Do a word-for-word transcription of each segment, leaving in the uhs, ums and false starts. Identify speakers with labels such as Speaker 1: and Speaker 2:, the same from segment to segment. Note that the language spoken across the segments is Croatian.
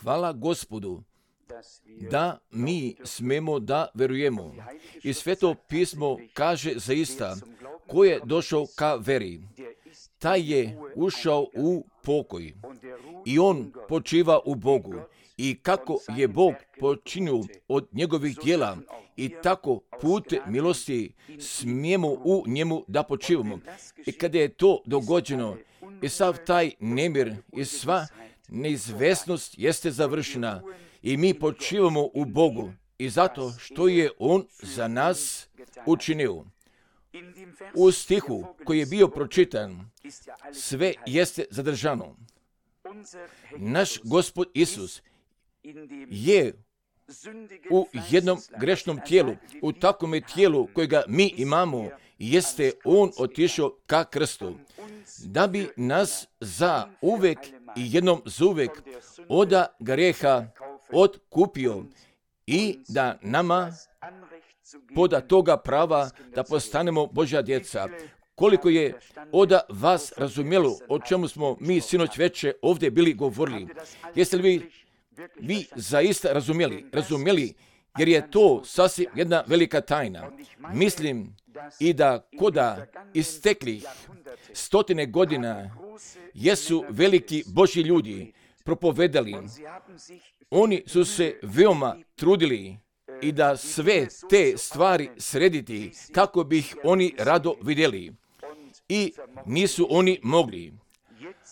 Speaker 1: Hvala Gospodu da mi smemo da verujemo. I Sveto pismo kaže zaista, ko je došao ka veri, taj je ušao u pokoj i on počiva u Bogu. I kako je Bog počinio od njegovih djela i tako put milosti smijemo u njemu da počivamo. I kada je to dogođeno i sav taj nemir i sva neizvesnost jeste završena i mi počivamo u Bogu i zato što je On za nas učinio. U stihu koji je bio pročitan sve jeste zadržano. Naš Gospod Isus je u jednom grešnom tijelu, u takvom tijelu kojega mi imamo, jeste On otišao ka krstu, da bi nas za uvek i jednom zuvek oda grijeha otkupio i da nama poda toga prava da postanemo Božja djeca. Koliko je oda vas razumjelo o čemu smo mi sinoć veče ovdje bili govorili? Jeste li vi, vi zaista razumjeli? Razumjeli jer je to sasvim jedna velika tajna. Mislim i da koda isteklih stotine godina jesu veliki Božji ljudi propovedali. Oni su se veoma trudili i da sve te stvari srediti kako bi ih oni rado vidjeli. I nisu oni mogli.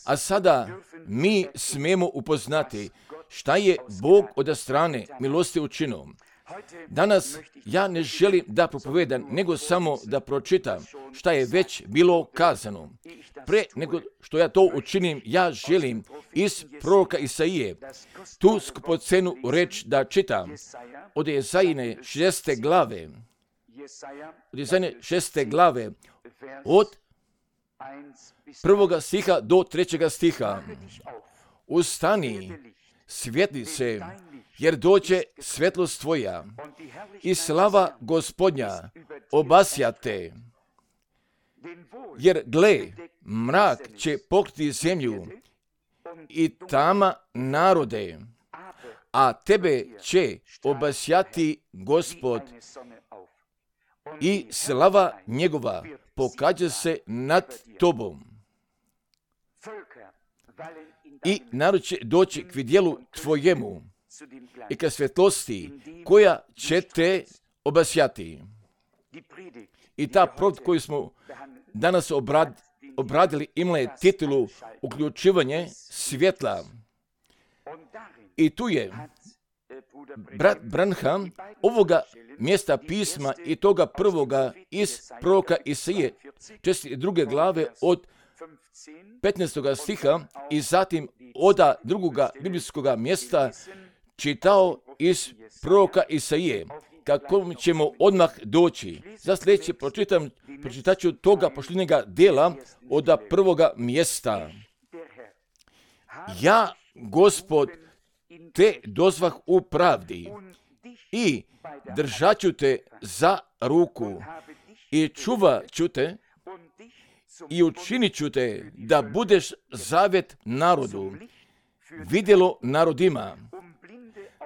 Speaker 1: A sada mi smemo upoznati šta je Bog od strane milosti učinio. Danas ja ne želim da propovedam, nego samo da pročitam šta je već bilo kazano. Pre nego što ja to učinim, ja želim iz proroka Isaije tu skupocenu reč da čitam od Jesajine šeste glave, od Jesajine šeste glave, od prvoga stiha do trećega stiha. Ustani, svjetli se, jer dođe svetlost tvoja i slava Gospodnja obasja te. Jer gle, mrak će pokriti zemlju i tama narode, a tebe će obasjati Gospod i slava njegova pokaže se nad tobom. I narod će doći k vidjelu tvojemu i ka svjetlosti koja će te obasjati. I ta propovijed koju smo danas obrad, obradili imala je titulu Uključivanje svjetla. I tu je brat Branham ovoga mjesta pisma i toga prvoga iz proroka Isaije, četrdeset druge glave od petnaestoga stiha i zatim oda drugoga biblijskoga mjesta čitao iz proroka Isaije, kako ćemo odmah doći. Za sljedeće pročitam, pročitat ću toga pošlinjega dela od prvoga mjesta. Ja, Gospod, te dozvah u pravdi i držat ću te za ruku i čuvat ću te i učinit ću te da budeš zavjet narodu, vidjelo narodima,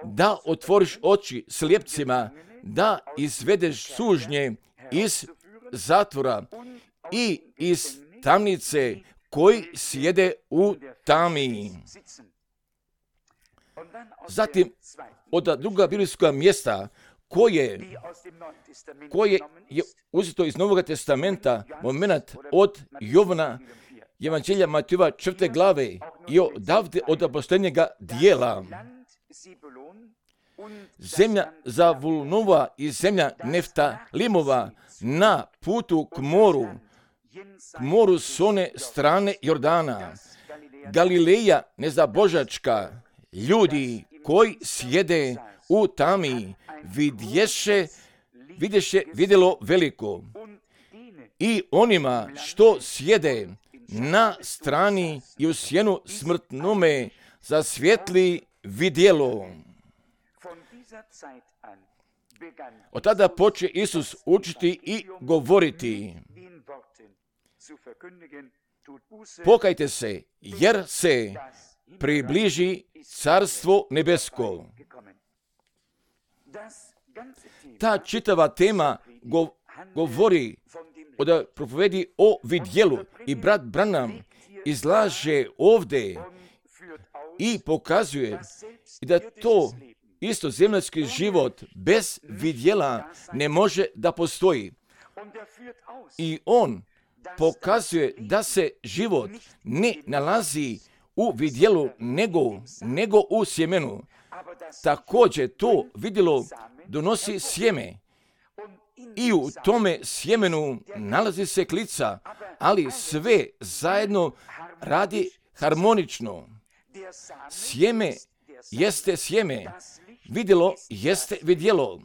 Speaker 1: da otvoriš oči slijepcima, da izvedeš sužnje iz zatvora i iz tamnice koji sjede u tami. Zatim, od druga biblijska mjesta koje, koje je uzeto iz Novog testamenta, moment od Jovana, Evanđelja Matijeva četvrte glave i odavde od posljednjega dijela. Zemlja Zavulunova i zemlja Neftalimova na putu k moru, k moru s one strane Jordana, Galileja nezabožačka, ljudi koji sjede u tami, vidješe, vidješe vidjelo veliko. I onima što sjede na strani i u sjenu smrtnome zasvjetli vidjelo. Od tada poče Isus učiti i govoriti. Pokajte se, jer se približi Carstvo nebesko. Ta čitava tema go, govori da propovedi o vidjelu i brat Branham izlaže ovdje i pokazuje da to isto zemaljski život bez vidjela ne može da postoji. I on pokazuje da se život ne nalazi u vidjelu nego, nego u sjemenu. Također to vidjelo donosi sjeme i u tome sjemenu nalazi se klica, ali sve zajedno radi harmonično. Sjeme jeste sjeme, vidjelo jeste vidjelo,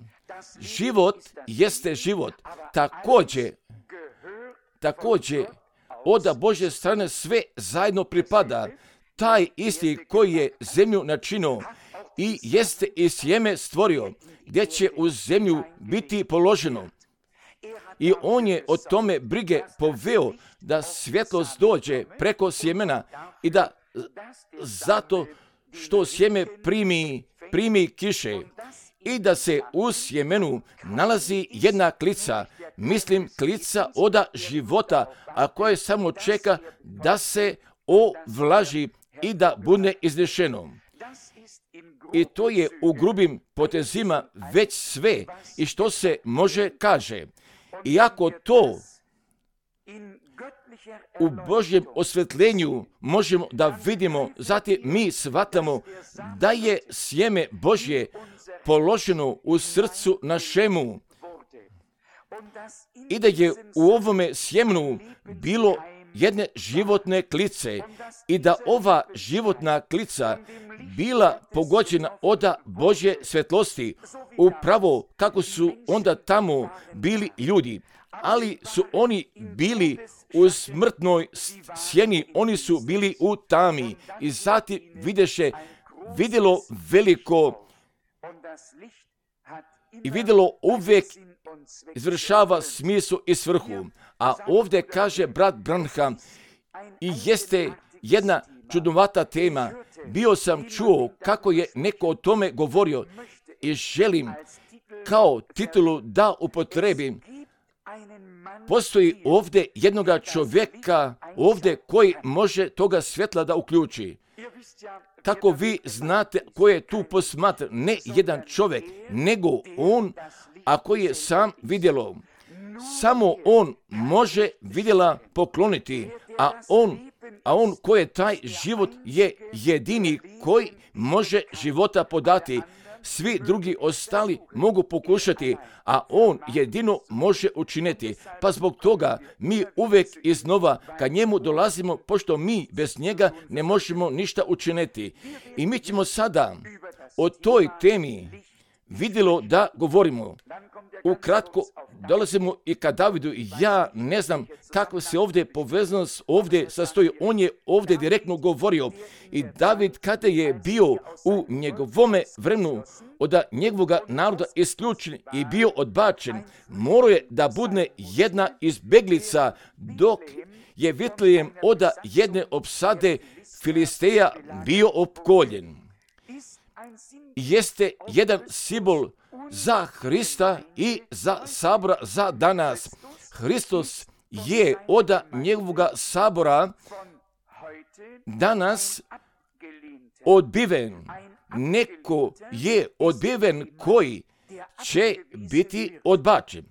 Speaker 1: život jeste život. Također, također od Božje strane sve zajedno pripada. Taj isti koji je zemlju načinio i jeste i sjeme stvorio, gdje će u zemlju biti položeno. I on je o tome brige poveo da svjetlost dođe preko sjemena i da zato što sjeme primi, primi kiše i da se u sjemenu nalazi jedna klica, mislim klica oda života, a koje samo čeka da se ovlaži i da bude iznešeno. I to je u grubim potezima već sve i što se može kaže. Iako to u Božjem osvetljenju možemo da vidimo, zatim mi shvatamo da je sjeme Božje položeno u srcu našemu i da je u ovome sjemenu bilo jedne životne klice i da ova životna klica bila pogođena od Božje svjetlosti, upravo kako su onda tamo bili ljudi, ali su oni bili u smrtnoj sjeni, oni su bili u tami i zatim videše, vidjelo veliko i vidjelo uvijek izvršava smislu i svrhu. A ovdje kaže brat Branham i jeste jedna čudnovata tema. Bio sam čuo kako je neko o tome govorio i želim kao titulu da upotrebim. Postoji ovdje jednoga čovjeka ovdje koji može toga svjetla da uključi. Kako vi znate ko je tu posmatra, ne jedan čovjek, nego on, a koji je sam vidjelo. Samo on može vidjela pokloniti, a on, a on koji je taj život je jedini koji može života podati. Svi drugi ostali mogu pokušati, a on jedino može učiniti. Pa zbog toga mi uvijek iznova kad njemu dolazimo, pošto mi bez njega ne možemo ništa učiniti. I mi ćemo sada o toj temi vidjelo da govorimo. Ukratko dolazimo i ka Davidu. Ja ne znam kako se ovdje povezanost ovdje sastoji. On je ovdje direktno govorio. I David kada je bio u njegovome vremenu od njegovoga naroda isključen i bio odbačen, morao je da bude jedna izbeglica dok je Vitlejem od jedne opsade Filisteja bio opkoljen. Jeste jedan simbol za Hrista i za sabora za danas. Hristos je od njegovoga sabora danas odbiven. Neko je odbiven koji će biti odbačen.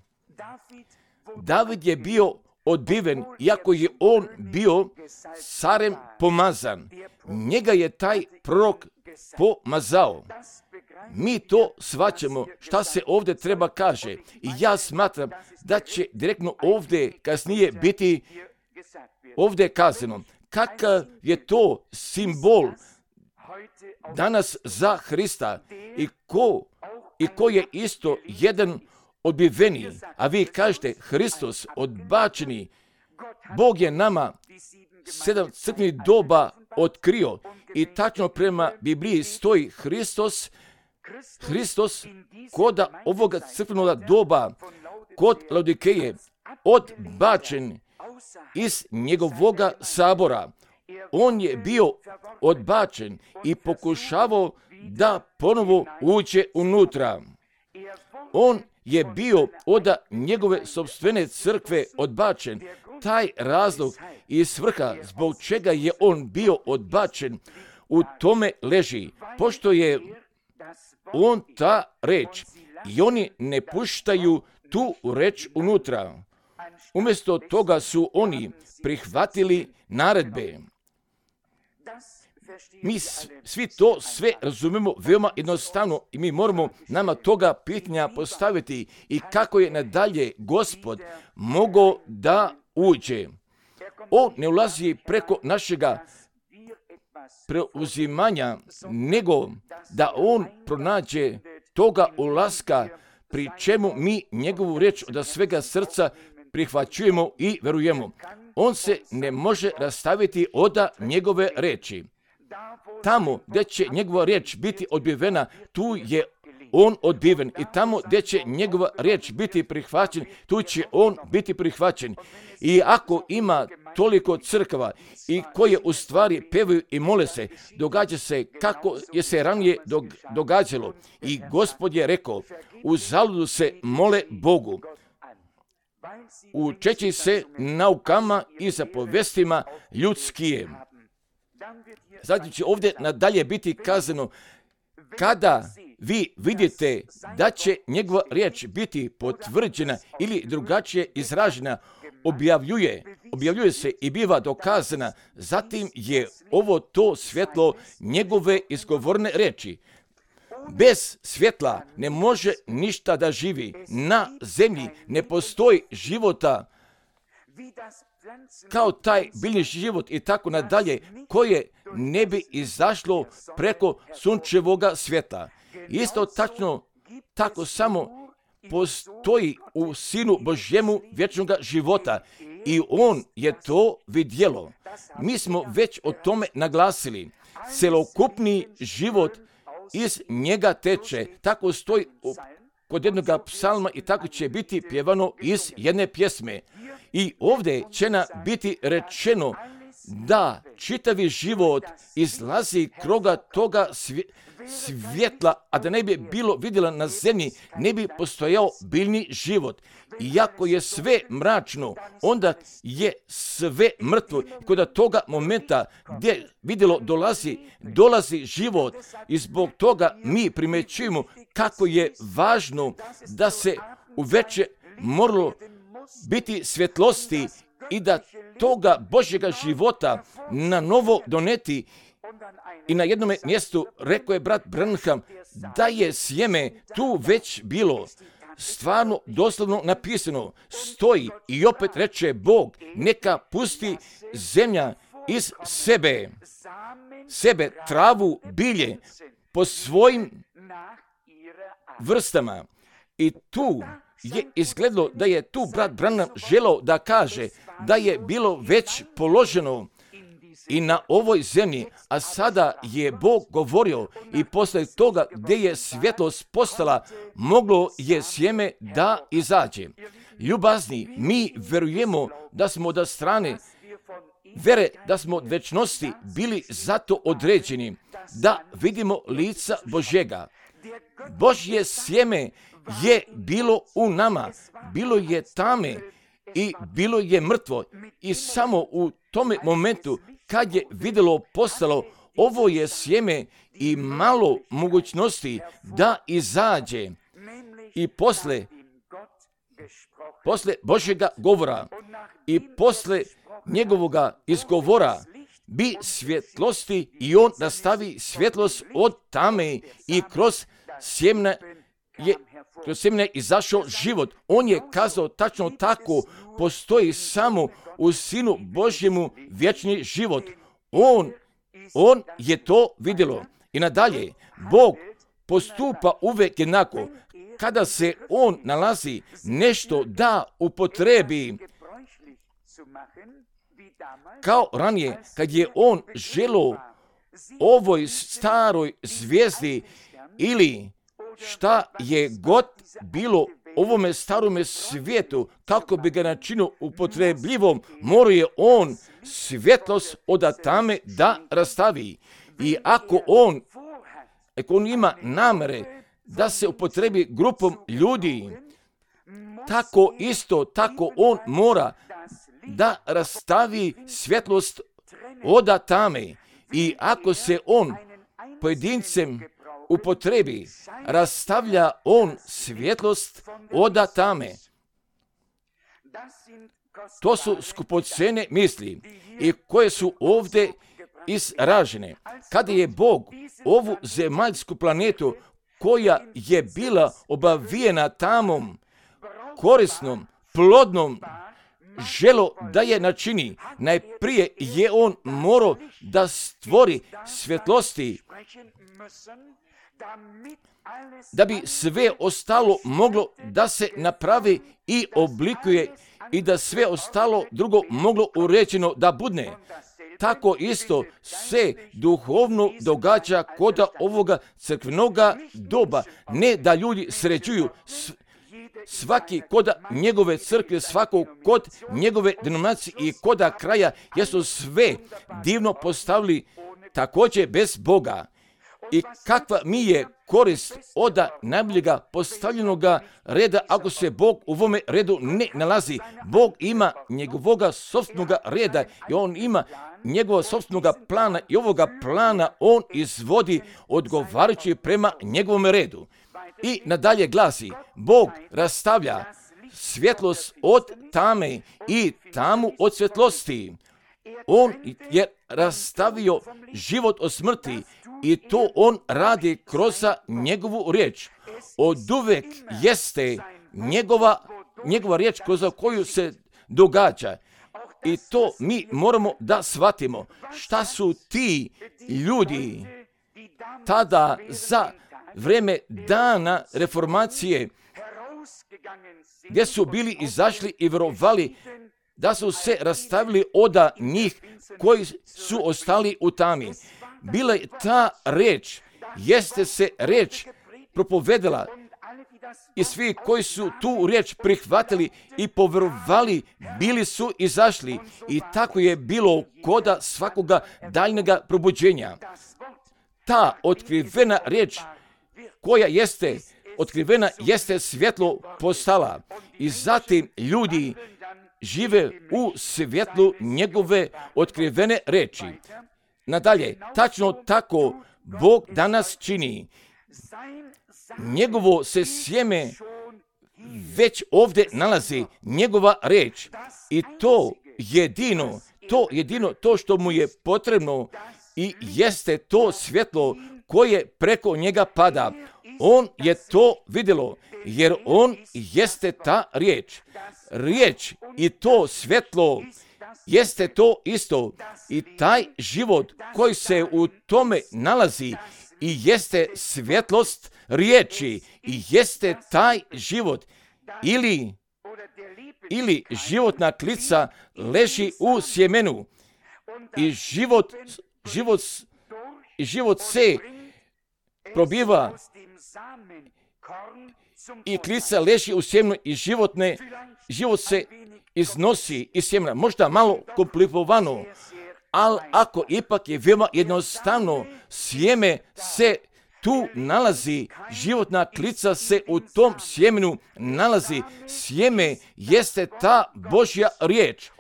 Speaker 1: David je bio odbiven, iako je on bio carem pomazan. Njega je taj prorok pomazao. Mi to shvaćamo šta se ovdje treba kaže. I ja smatram da će direktno ovdje kasnije biti ovdje kazano. Kakav je to simbol danas za Hrista i ko, i ko je isto jedan odbiveni, a vi kažete Hristos odbačeni, Bog je nama sedam crkvenih doba otkrio i tačno prema Bibliji stoji Hristos, Hristos kod ovoga crkvenog doba, kod Laodikeje, odbačen iz njegovoga sabora. On je bio odbačen i pokušavao da ponovo uđe unutra. On je bio od njegove sopstvene crkve odbačen. Taj razlog i svrha zbog čega je on bio odbačen u tome leži, pošto je on ta reč i oni ne puštaju tu reč unutra. Umjesto toga su oni prihvatili naredbe. Mi svi to sve razumemo veoma jednostavno i mi moramo nama toga pitanja postaviti i kako je nadalje Gospod mogao da uđe. On ne ulazi preko našega preuzimanja, nego da on pronađe toga ulaska, pri čemu mi njegovu riječ od svega srca prihvaćujemo i verujemo. On se ne može rastaviti od njegove reči. Tamo gdje će njegova riječ biti odbivena, tu je on odbiven. I tamo gdje će njegova riječ biti prihvaćen, tu će on biti prihvaćen. I ako ima toliko crkava i koje u stvari pevaju i mole se, događa se kako je se ranije događalo. I Gospod je rekao, uzaludu se mole Bogu, učeći se naukama i zapovestima ljudskije. Zatim će ovdje nadalje biti kazano, kada vi vidite da će njegova riječ biti potvrđena ili drugačije izražena, objavljuje, objavljuje se i biva dokazana, zatim je ovo to svjetlo njegove izgovorne riječi. Bez svjetla ne može ništa da živi. Na zemlji ne postoji života kao taj biljni život i tako nadalje, koje ne bi izašlo preko sunčevoga svjetla. Isto tačno, tako samo postoji u Sinu Božjemu vječnog života i on je to vidjelo. Mi smo već o tome naglasili. Celokupni život iz njega teče. Tako stoji kod jednog psalma i tako će biti pjevano iz jedne pjesme. I ovdje će nam biti rečeno da čitavi život izlazi kroga toga svjetla, a da ne bi bilo vidjela na zemlji, ne bi postojao biljni život. Iako je sve mračno, onda je sve mrtvo. Kod toga momenta gdje vidjelo dolazi, dolazi život i zbog toga mi primećujemo kako je važno da se uveče moralo biti svjetlosti i da toga Božjega života na novo doneti. I na jednom mjestu rekao je brat Branham da je sjeme tu već bilo. Stvarno, doslovno napisano, stoji i opet reče Bog, neka pusti zemlja iz sebe, sebe, travu, bilje, po svojim vrstama. I tu je izgledalo da je tu brat Branham želao da kaže da je bilo već položeno i na ovoj zemlji, a sada je Bog govorio i posle toga gdje je svjetlost postala, moglo je sjeme da izađe. Ljubazni, mi verujemo da smo od strane vere, da smo od večnosti bili zato određeni, da vidimo lica Božjega. Božje sjeme je bilo u nama, bilo je tame i bilo je mrtvo i samo u tome momentu kad je vidjelo postalo, ovo je sjeme i malo mogućnosti da izađe. I posle, posle Božjega govora i posle njegovoga izgovora bi svjetlosti i on nastavi svjetlost od tame i kroz sjemne je kroz sjemne izašao život. On je kazao tačno tako, postoji samo u Sinu Božjemu vječni život. On, on je to vidjelo. I nadalje, Bog postupa uvijek jednako. Kada se on nalazi nešto da upotrebi, kao ranije, kad je on želio ovoj staroj zvijezdi ili šta je god bilo ovome starome svijetu, kako bi ga načinio upotrebljivom, morao je on svjetlost od tame da rastavi. I ako on, ako on ima namere da se upotrebi grupom ljudi, tako isto, tako on mora da rastavi svjetlost od tame. I ako se on pojedincem upotrebi, rastavlja on svjetlost od tame. To su skupocene misli i koje su ovdje izražene. Kada je Bog ovu zemaljsku planetu koja je bila obavijena tamom, korisnom, plodnom, želo da je načini, najprije je on morao da stvori svjetlosti, da bi sve ostalo moglo da se napravi i oblikuje i da sve ostalo drugo moglo uređeno da budne. Tako isto se duhovno događa kod ovoga crkvenoga doba. Ne da ljudi sređuju svaki kod njegove crkve, svako kod njegove denominacije i kod kraja, jer su sve divno postavili također bez Boga. I kakva mi je korist od najboljega postavljenoga reda ako se Bog u ovome redu ne nalazi. Bog ima njegovoga sopstvenoga reda i on ima njegova sopstvenoga plana i ovoga plana on izvodi odgovarajući prema njegovom redu. I nadalje glasi, Bog rastavlja svjetlost od tame i tamu od svjetlosti. On je rastavio život od smrti i to on radi kroz njegovu riječ. Oduvek jeste njegova, njegova riječ kroz koju se događa. I to mi moramo da shvatimo. Šta su ti ljudi tada za vrijeme dana reformacije, gdje su bili izašli i vjerovali da su se rastavili od njih koji su ostali u tami. Bila je ta reč, jeste se reč propovedala i svi koji su tu riječ prihvatili i povjerovali, bili su izašli i tako je bilo koda svakoga daljnjega probuđenja. Ta otkrivena riječ koja jeste otkrivena jeste svjetlo postala i zatim ljudi žive u svjetlu njegove otkrivene reči. Nadalje, tačno tako Bog danas čini. Njegovo se sjeme već ovdje nalazi, njegova reč. I to jedino, to jedino, to što mu je potrebno i jeste to svjetlo koje preko njega pada. On je to vidjelo, jer on jeste ta riječ. Riječ i to svjetlo jeste to isto. I taj život koji se u tome nalazi i jeste svjetlost riječi i jeste taj život. Ili, ili životna klica leži u sjemenu i život, život, život se probiva i klica leži u sjemenu i životne, život se iznosi iz sjemena. Možda malo komplikovano, ali ako ipak je veoma jednostavno, sjeme se tu nalazi, životna klica se u tom sjemenu nalazi. Sjeme jeste ta Božja riječ.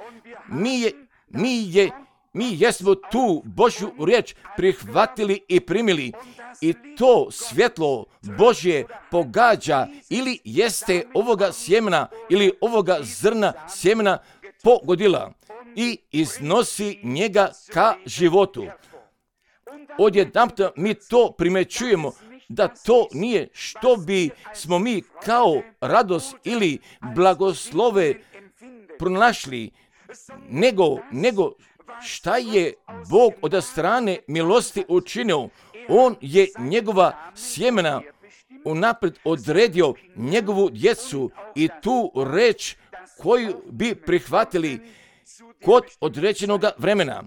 Speaker 1: Mi je, mi je, mi jesmo tu Božju riječ prihvatili i primili. I to svjetlo Božje pogađa ili jeste ovoga sjemena ili ovoga zrna sjemena pogodila i iznosi njega ka životu. Odjedanput mi to primećujemo da to nije što bi smo mi kao radost ili blagoslove pronašli, nego, nego šta je Bog od strane milosti učinio. On je njegova sjemena unaprijed odredio njegovu djecu i tu reč koju bi prihvatili kod određenog vremena.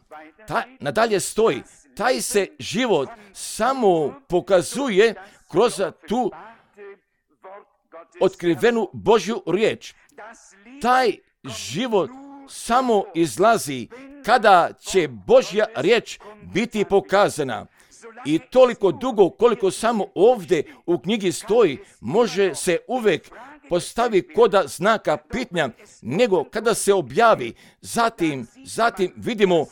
Speaker 1: Ta, nadalje stoji, taj se život samo pokazuje kroz tu otkrivenu Božju riječ. Taj život samo izlazi, kada će Božja riječ biti pokazana. I toliko dugo koliko samo ovdje u knjigi stoji, može se uvijek postavi koda znaka pitanja, nego kada se objavi, zatim, zatim vidimo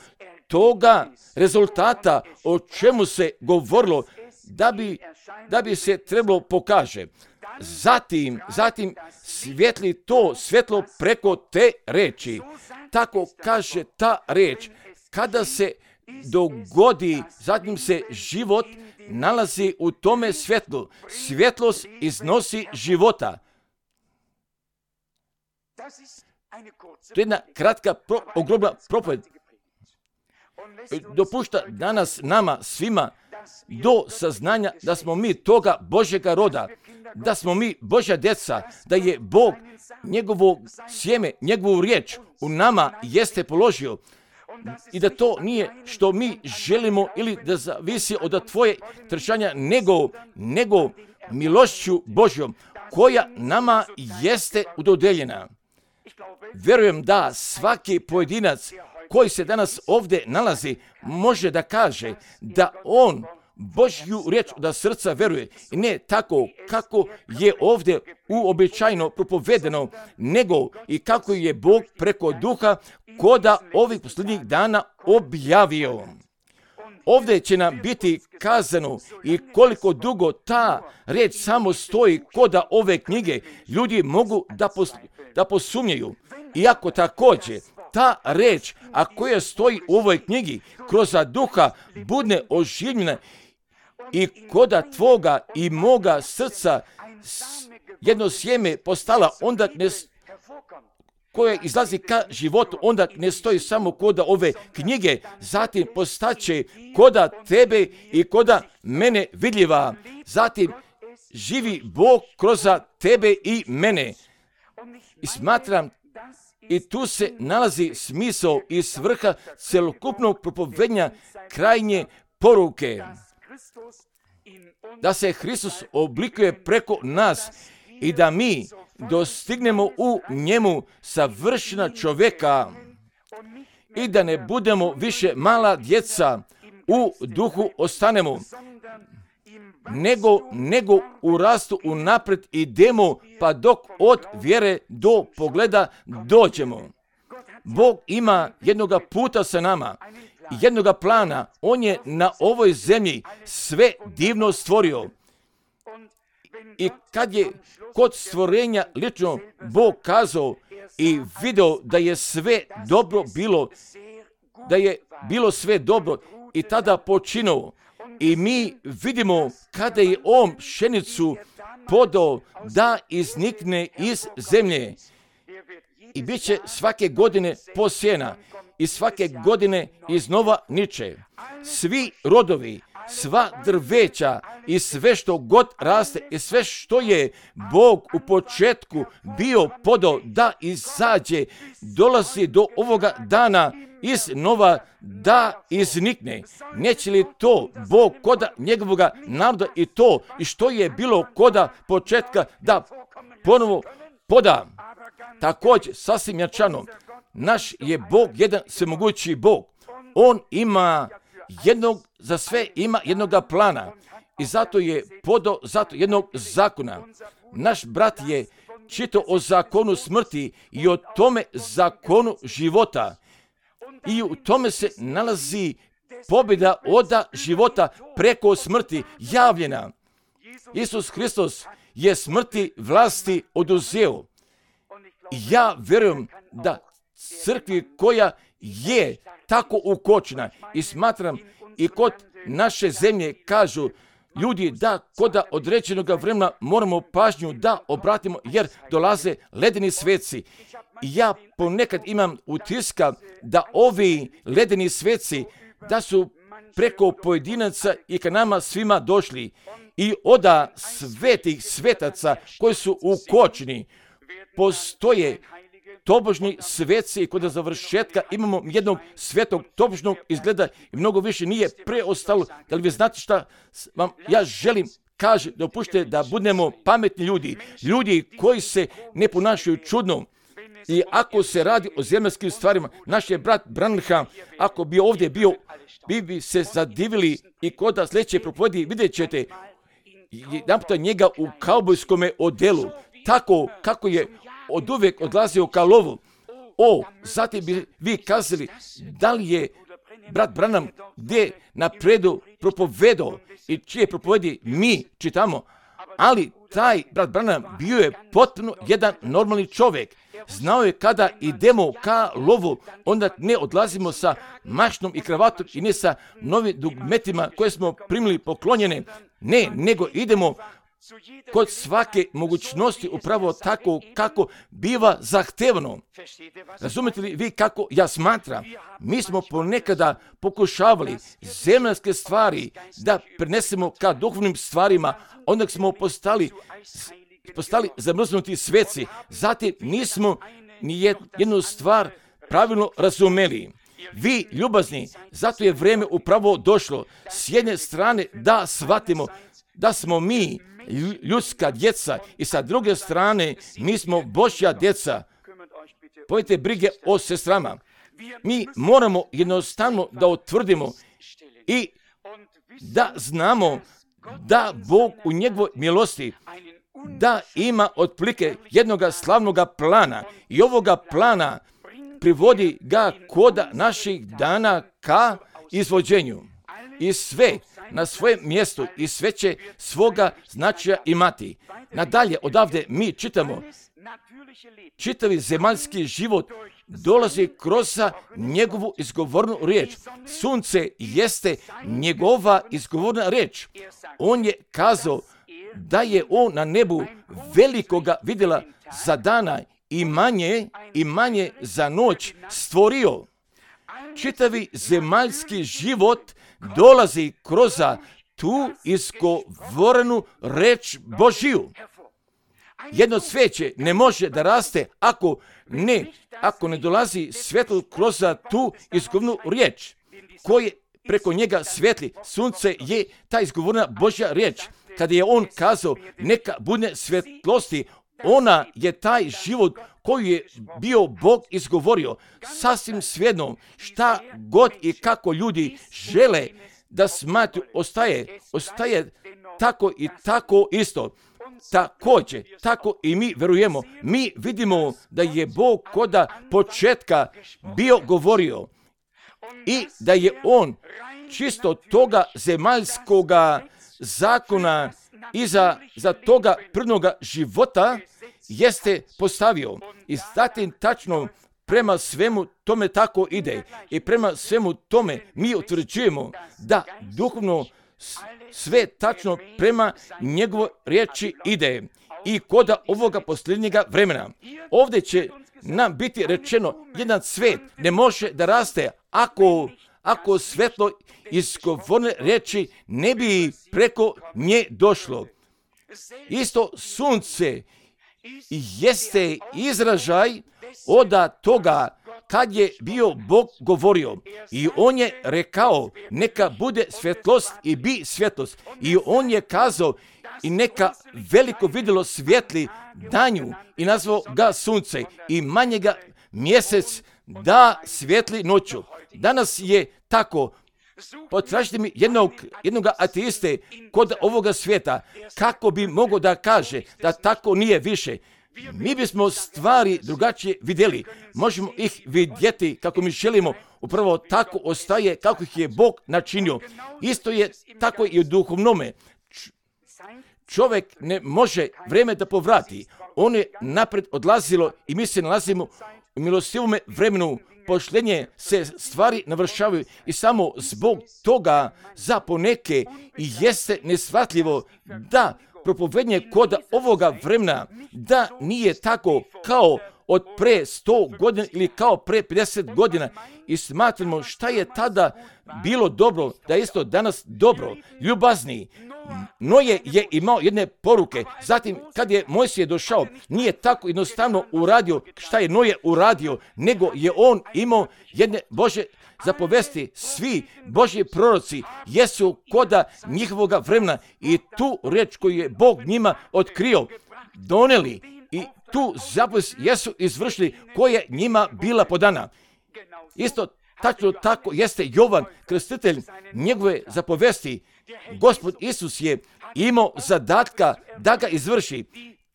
Speaker 1: toga rezultata o čemu se govorilo, da bi, da bi se trebalo pokaže. Zatim, zatim svjetli to svjetlo preko te reči. Tako kaže ta reč. Kada se dogodi, zatim se život nalazi u tome svjetlu. Svjetlost iznosi života. To je jedna kratka, pro, ogromna propoved. Dopušta danas nama svima do saznanja da smo mi toga Božjega roda, da smo mi Božja djeca, da je Bog njegovo sjeme, njegovu riječ u nama jeste položio i da to nije što mi želimo ili da zavisi od tvoje trčanja, nego, nego milošću Božjom koja nama jeste udodeljena. Vjerujem da svaki pojedinac koji se danas ovdje nalazi može da kaže da on Božju riječ da srca veruje i ne tako kako je ovdje uobičajeno propovedeno, nego i kako je Bog preko duha koda ovih posljednjih dana objavio. Ovdje će nam biti kazano i koliko dugo ta riječ samo stoji koda ove knjige, ljudi mogu da, pos, da posumnjaju. Iako također ta reč, a koja stoji u ovoj knjigi, kroz duha budne oživljena i koda tvoga i moga srca jedno sjeme postala, onda ne, koje izlazi ka životu, onda ne stoji samo koda ove knjige, zatim postaće koda tebe i koda mene vidljiva. Zatim živi Bog kroz tebe i mene. I smatram, i tu se nalazi smisao i svrha celokupnog propovedanja krajnje poruke. Da se Hristos oblikuje preko nas i da mi dostignemo u njemu savršena čovjeka i da ne budemo više mala djeca, u duhu ostanemo, nego, nego u rastu unaprijed idemo, pa dok od vjere do pogleda dođemo. Bog ima jednoga puta sa nama, jednoga plana. On je na ovoj zemlji sve divno stvorio. I kad je kod stvorenja lično Bog kazao i video da je sve dobro bilo, da je bilo sve dobro i tada počinuo. I mi vidimo kada je on pšenicu podao da iznikne iz zemlje i bit će svake godine posijena i svake godine iznova niče. Svi rodovi, sva drveća i sve što god raste i sve što je Bog u početku bio podao da izađe, dolazi do ovoga dana iz nova da iznikne. Neće li to Bog koda njegovoga naroda i to i što je bilo koda početka da ponovo poda? Također, sasvim jačano, naš je Bog jedan svemogući Bog. On ima jednog, za sve ima jednoga plana i zato je podao zato jednog zakona. Naš brat je čitao o zakonu smrti i o tome zakonu života. I u tome se nalazi pobjeda od života preko smrti javljena. Isus Hristos je smrti vlasti oduzeo. Ja vjerujem da crkvi koja je tako ukočena i smatram i kod naše zemlje kažu ljudi da kod određenog vremena moramo pažnju da obratimo jer dolaze ledeni sveci. I ja ponekad imam utiska da ovi ledeni sveci da su preko pojedinaca i ka nama svima došli i oda svetih svetaca koji su ukočeni. Postoje tobožni sveci i kod završetka imamo jednog svetog tobožnog izgleda i mnogo više nije preostalo. Da li vi znate šta vam ja želim kaže, dopušte da budemo pametni ljudi, ljudi koji se ne ponašaju čudno. I ako se radi o zemaljskim stvarima, naš je brat Branham, ako bi ovdje bio, bi bi se zadivili i kod da sljedeće propovedi vidjet ćete jedanputa njega u kaubojskome odelu, tako kako je od uvijek odlazio ka lovu. O, zatim bi vi kazali, da li je brat Branham gdje napredu propovedao i čije propovedi mi čitamo, ali taj brat Branham bio je potpuno jedan normalni čovjek. Znao je kada idemo ka lovu, onda ne odlazimo sa mašnom i kravatom i ne sa novim dugmetima koje smo primili poklonjene. Ne, nego idemo kod svake mogućnosti upravo tako kako biva zahtevano. Razumete li vi kako ja smatram? Mi smo ponekada pokušavali zemaljske stvari da prenesemo ka duhovnim stvarima, onda smo postali, postali zamrznuti sveci. Zatim nismo ni jednu stvar pravilno razumeli. Vi, ljubazni, zato je vrijeme upravo došlo. S jedne strane da shvatimo da smo mi ljudska djeca i sa druge strane mi smo Božja djeca. Povijete brige o sestrama. Mi moramo jednostavno da utvrdimo i da znamo da Bog u njegovoj milosti da ima otprilike jednoga slavnoga plana i ovoga plana privodi ga koda naših dana ka izvođenju. I sve na svojem mjestu i sve će svoga značaja imati. Nadalje, odavde mi čitamo, čitavi zemaljski život dolazi kroz njegovu izgovornu riječ. Sunce jeste njegova izgovorna riječ. On je kazao da je on na nebu velikoga vidjela za dana i manje i manje za noć stvorio. Čitavi zemaljski život dolazi kroz tu izgovorenu reč Božiju. Jedno cvijeće ne može da raste ako ne, ako ne dolazi svjetlo kroz tu izgovornu riječ koje preko njega svijetli. Sunce je ta izgovorna Božja riječ. Kada je on kazao neka bude svjetlosti, ona je taj život koji je bio Bog izgovorio. Sasvim svejedno šta god i kako ljudi žele da smatruju, ostaje, ostaje tako i tako isto. Također, tako i mi verujemo. Mi vidimo da je Bog koda početka bio govorio i da je on čisto toga zemaljskoga zakona iza za toga prvnoga života jeste postavio. I zatim tačno prema svemu tome tako ide. I prema svemu tome mi utvrđujemo da duhovno sve tačno prema njegovoj riječi ide. I koda ovoga posljednjega vremena. Ovdje će nam biti rečeno, jedan cvet ne može da raste ako, ako svetlo izgovorne riječi ne bi preko nje došlo. Isto sunce jeste izražaj od toga kad je bio Bog govorio. I on je rekao neka bude svjetlost i bi svjetlost. I on je kazao i neka veliko vidjelo svjetli danju i nazvao ga sunce i manjega mjesec da svjetli noću. Danas je tako. Potražite mi jednog, jednog ateiste kod ovoga svijeta kako bi mogao da kaže da tako nije više. Mi bismo stvari drugačije vidjeli. Možemo ih vidjeti kako mi želimo. Upravo tako ostaje kako ih je Bog načinio. Isto je tako i u duhovnome. Čovjek ne može vrijeme da povrati. On je napred odlazilo i mi se nalazimo u milostivome vremenu. Pošljenje se stvari navršavaju i samo zbog toga za poneke i jeste neshvatljivo da propovednje kod ovoga vremena da nije tako kao od pre sto godina ili kao pre pedeset godina i smatramo šta je tada bilo dobro, da je isto danas dobro, ljubazni. Noje je imao jedne poruke, zatim kad je Mojsije došao, nije tako jednostavno uradio šta je Noje uradio, nego je on imao jedne Božje zapovesti. Svi Božji proroci jesu koda njihovoga vremena i tu reč koju je Bog njima otkrio, doneli i tu zapovest jesu izvršili koja je njima bila podana. Isto tačno tako jeste Jovan Krstitelj, njegove zapovesti. Gospod Isus je imao zadatka da ga izvrši,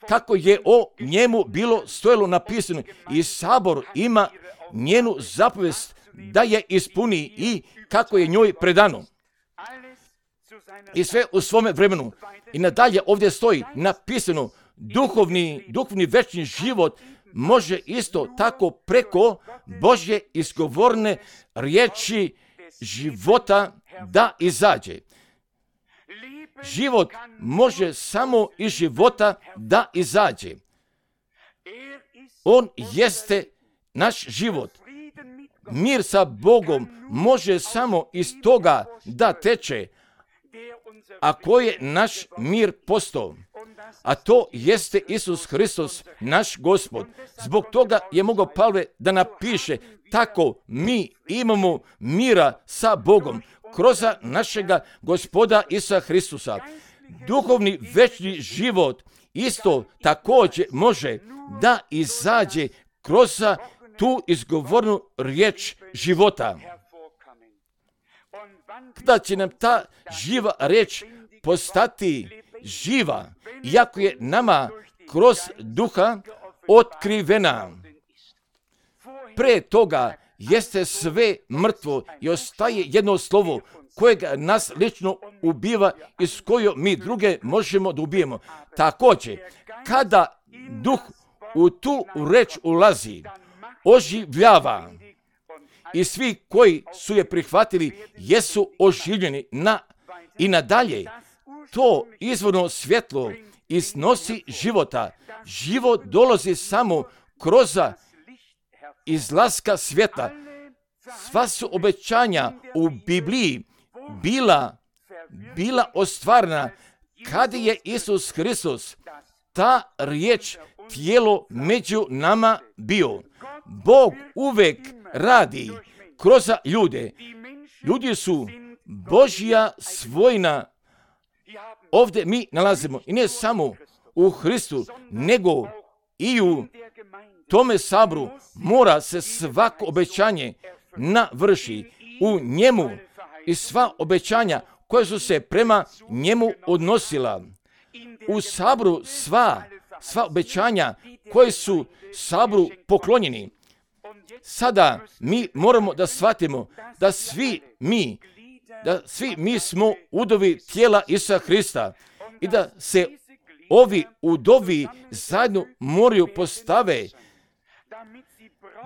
Speaker 1: kako je o njemu bilo stojalo napisano, i sabor ima njenu zapovest da je ispuni i kako je njoj predano. I sve u svome vremenu. I nadalje ovdje stoji napisano, duhovni, duhovni večni život može isto tako preko Božje izgovorne riječi života da izađe. Život može samo iz života da izađe. On jeste naš život. Mir sa Bogom može samo iz toga da teče, a ko je naš mir postao. A to jeste Isus Hristos, naš Gospod. Zbog toga je mogao Pavle da napiše, tako mi imamo mira sa Bogom kroz našega Gospoda Isusa Hristusa. Duhovni večni život isto također može da izađe kroz tu izgovornu riječ života. Kada će nam ta živa riječ postati živa, iako je nama kroz duha otkrivena. Pre toga jeste sve mrtvo i ostaje jedno slovo kojega nas lično ubiva i s kojom mi druge možemo da ubijemo. Također, kada duh u tu reč ulazi, oživljava, i svi koji su je prihvatili jesu oživljeni na, i nadalje. To izvorno svjetlo iznosi života. Život dolazi samo kroz izlaska svjetla. Sva su obećanja u Bibliji bila, bila ostvarena kad je Isus Hristos, ta riječ, tijelo među nama bio. Bog uvek radi kroz ljude. Ljudi su Božja svojina. Ovdje mi nalazimo i ne samo u Hristu, nego i u tome sabru mora se svako obećanje navrši u njemu i sva obećanja koja su se prema njemu odnosila. U sabru sva, sva obećanja koje su sabru poklonjeni. Sada mi moramo da shvatimo da svi mi, da svi mi smo udovi tijela Isusa Hrista i da se ovi udovi zajedno moraju postave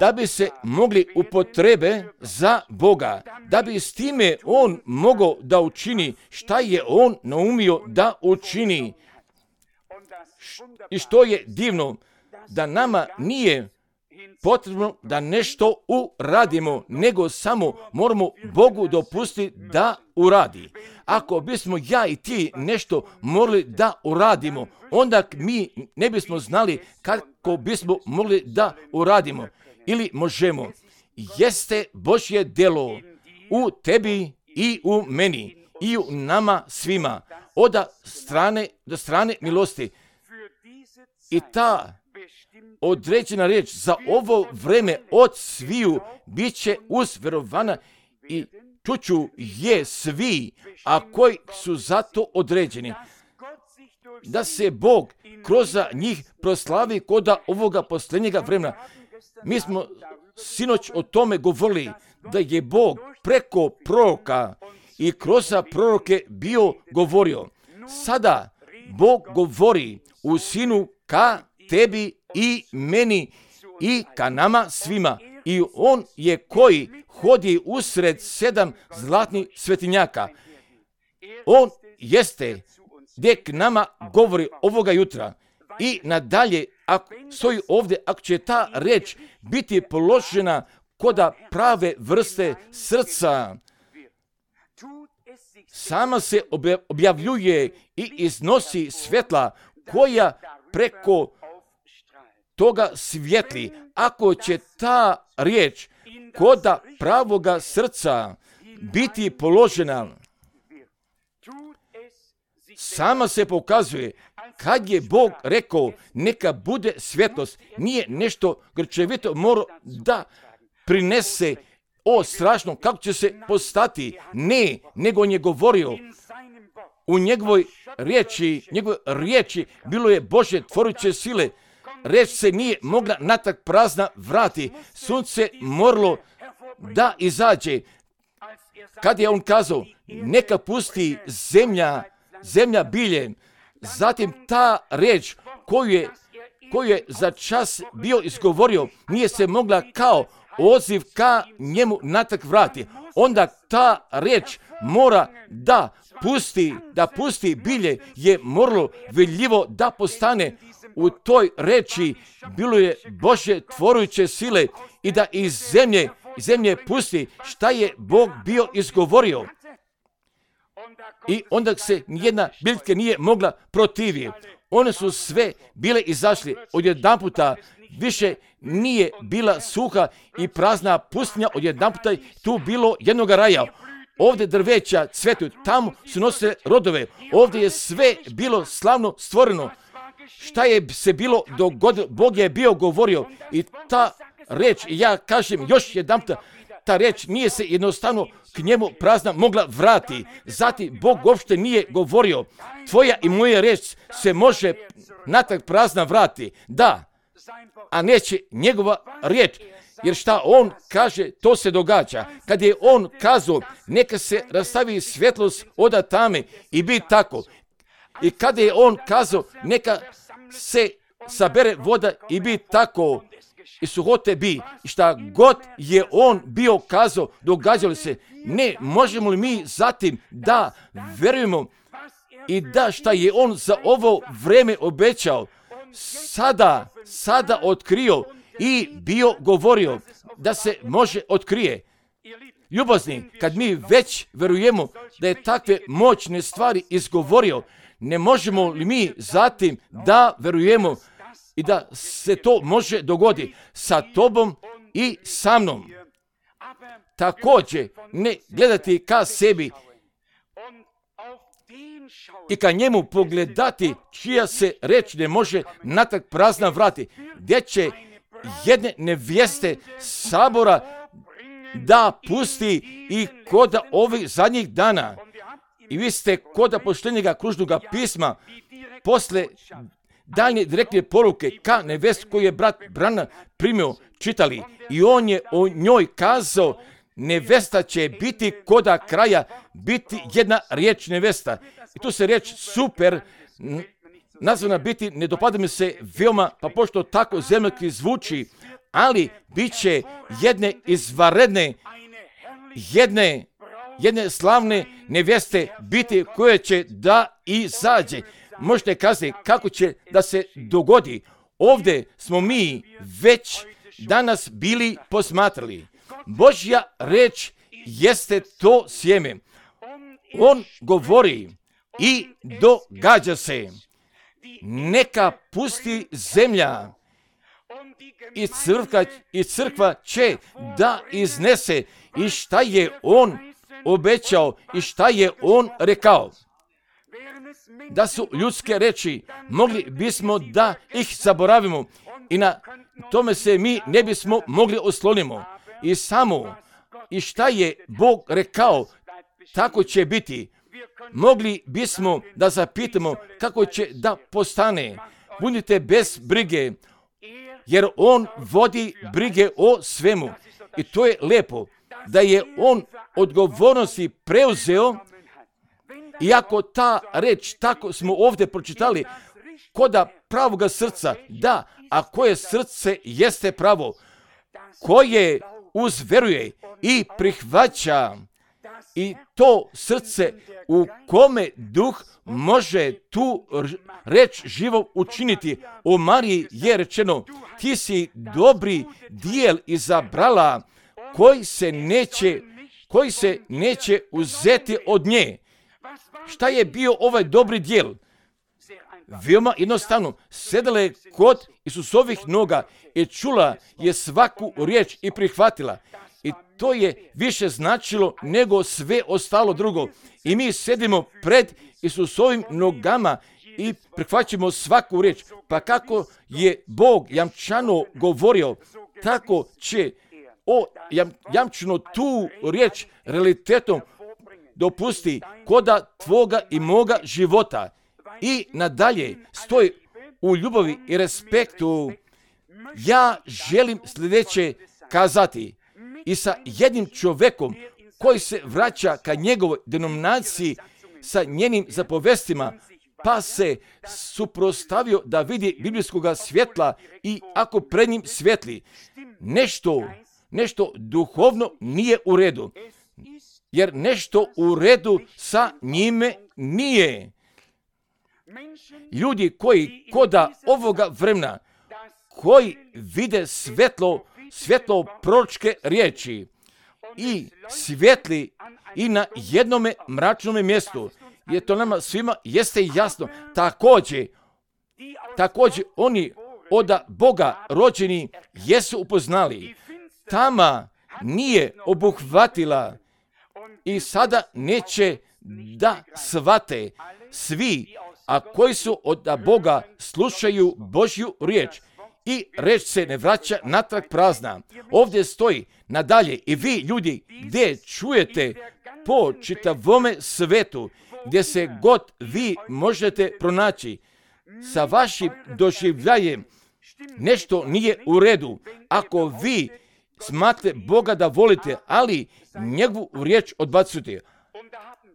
Speaker 1: da bi se mogli upotrebe za Boga, da bi s time On mogao da učini šta je On naumio da učini. I što je divno, da nama nije potrebno da nešto uradimo, nego samo moramo Bogu dopustiti da uradi. Ako bismo ja i ti nešto morali da uradimo, onda mi ne bismo znali kako bismo mogli da uradimo. Ili možemo. Jeste Božje delo u tebi i u meni i u nama svima od strane do strane milosti. I ta određena riječ za ovo vreme od sviju bit će uzverovana i čuću je svi, a koji su zato određeni. Da se Bog kroz njih proslavi kod ovoga posljednjega vremena. Mi smo sinoć o tome govorili da je Bog preko proroka i kroz proroke bio govorio. Sada Bog govori u sinu ka tebi i meni i ka nama svima. I on je koji hodi usred sedam zlatnih svetinjaka. On jeste gdje k nama govori ovoga jutra. I nadalje, ako stoji ovdje, ako će ta reč biti položena koda prave vrste srca, sama se objavljuje i iznosi svjetla koja preko toga svjetli. Ako će ta riječ koda pravoga srca biti položena, sama se pokazuje. Kad je Bog rekao neka bude svjetlost, nije nešto grčevito morao da prinese, o strašno, kako će se postati. Ne, nego on je govorio u njegovoj riječi, njegove riječi bilo je Božje tvoruće sile. Reč se nije mogla natrag prazna vrati. Sunce moralo da izađe. Kad je on kazao neka pusti zemlja, zemlja bilje, zatim ta riječ koju je, koju je za čas bio izgovorio nije se mogla kao odziv ka njemu natrag vrati. Onda ta riječ mora da pusti, da pusti bilje, je moralo vidljivo da postane. U toj reči bilo je Božje tvoruće sile i da iz zemlje, iz zemlje pusti šta je Bog bio izgovorio. I onda se nijedna biljka nije mogla protiviti. One su sve bile izašli. Odjedanputa više nije bila suha i prazna pustinja, odjedanputa tu bilo jednog raja. Ovdje drveća cvetu, tamo su nosile rodove. Ovdje je sve bilo slavno stvoreno. Šta je se bilo dogodilo, Bog je bio govorio i ta reč, ja kažem još jedanputa, ta reč nije se jednostavno k njemu prazna mogla vrati. Zatim Bog uopšte nije govorio. Tvoja i moja reč se može natrag prazna vrati. Da, a neće njegova riječ. Jer šta on kaže, to se događa. Kad je on kazao, neka se rastavi svjetlost od tame i bi tako. I kada je on kazao, neka se sabere voda i bi tako. I suhote bi. I šta god je on bio kazao, događalo se. Ne, možemo li mi zatim da verujemo i da šta je on za ovo vreme obećao, sada, sada otkrio i bio govorio da se može otkrije. Ljubazni, kad mi već verujemo da je takve moćne stvari izgovorio, ne možemo li mi zatim da verujemo i da se to može dogoditi sa tobom i sa mnom. Također, ne gledati ka sebi i ka njemu pogledati čija se reč ne može natrag prazna vrati. Gdje će jedne nevjeste sabora da pusti i koda ovih zadnjih dana. I vi ste koda poštenjega kružnoga pisma posle daljnje direktne poruke ka nevest koju je brat Branham primio čitali. I on je o njoj kazao, nevesta će biti koda kraja, biti jedna riječ nevesta. I tu se riječ super nazvana biti, ne dopada mi se veoma, pa pošto tako zemljski zvuči, ali bit će jedne izvanredne, jedne, jedne slavne neveste biti koje će da izađe. Možete kazati kako će da se dogodi. Ovdje smo mi već danas bili posmatrali. Božja reč jeste to sjeme. On govori i događa se. Neka pusti zemlja i crkva, i crkva će da iznese i šta je on obećao i šta je on rekao. Da su ljudske reči, mogli bismo da ih zaboravimo i na tome se mi ne bismo mogli oslonimo. I samo, i šta je Bog rekao, tako će biti. Mogli bismo da zapitamo kako će da postane. Budite bez brige, jer on vodi brige o svemu. I to je lepo, da je on odgovornosti preuzeo. Iako ta reč, tako smo ovdje pročitali, koda pravoga srca, da, a koje srce jeste pravo, koje uzveruje i prihvaća, i to srce u kome duh može tu reč živo učiniti. O Mariji je rečeno, ti si dobri dijel izabrala koji se neće, koji se neće uzeti od nje. Šta je bio ovaj dobri dijel? Veoma jednostavno, sedala je kod Isusovih noga i čula je svaku riječ i prihvatila. I to je više značilo nego sve ostalo drugo. I mi sedimo pred Isusovim nogama i prihvaćamo svaku riječ. Pa kako je Bog jamčano govorio, tako će o jam, jamčano tu riječ realitetom dopusti koda tvoga i moga života. I nadalje stoji u ljubavi i respektu. Ja želim sljedeće kazati i sa jednim čovjekom koji se vraća ka njegovoj denominaciji sa njenim zapovestima, pa se suprostavio da vidi biblijskoga svjetla i ako pred njim svjetli, nešto, nešto duhovno nije u redu. Jer nešto u redu sa njime nije. Ljudi koji koda ovoga vremena, koji vide svjetlo, svjetlo proročke riječi i svjetli i na jednome mračnome mjestu, jer to nama svima jeste jasno. Također, također oni od Boga rođeni jesu upoznali. Tama nije obuhvatila i sada neće da shvate svi, a koji su od Boga slušaju Božju riječ i riječ se ne vraća natrag prazna. Ovdje stoji nadalje i vi ljudi gdje čujete po čitavome svetu, gdje se god vi možete pronaći sa vašim doživljajem, nešto nije u redu. Ako vi smatrate Boga da volite, ali njegovu riječ odbacujete.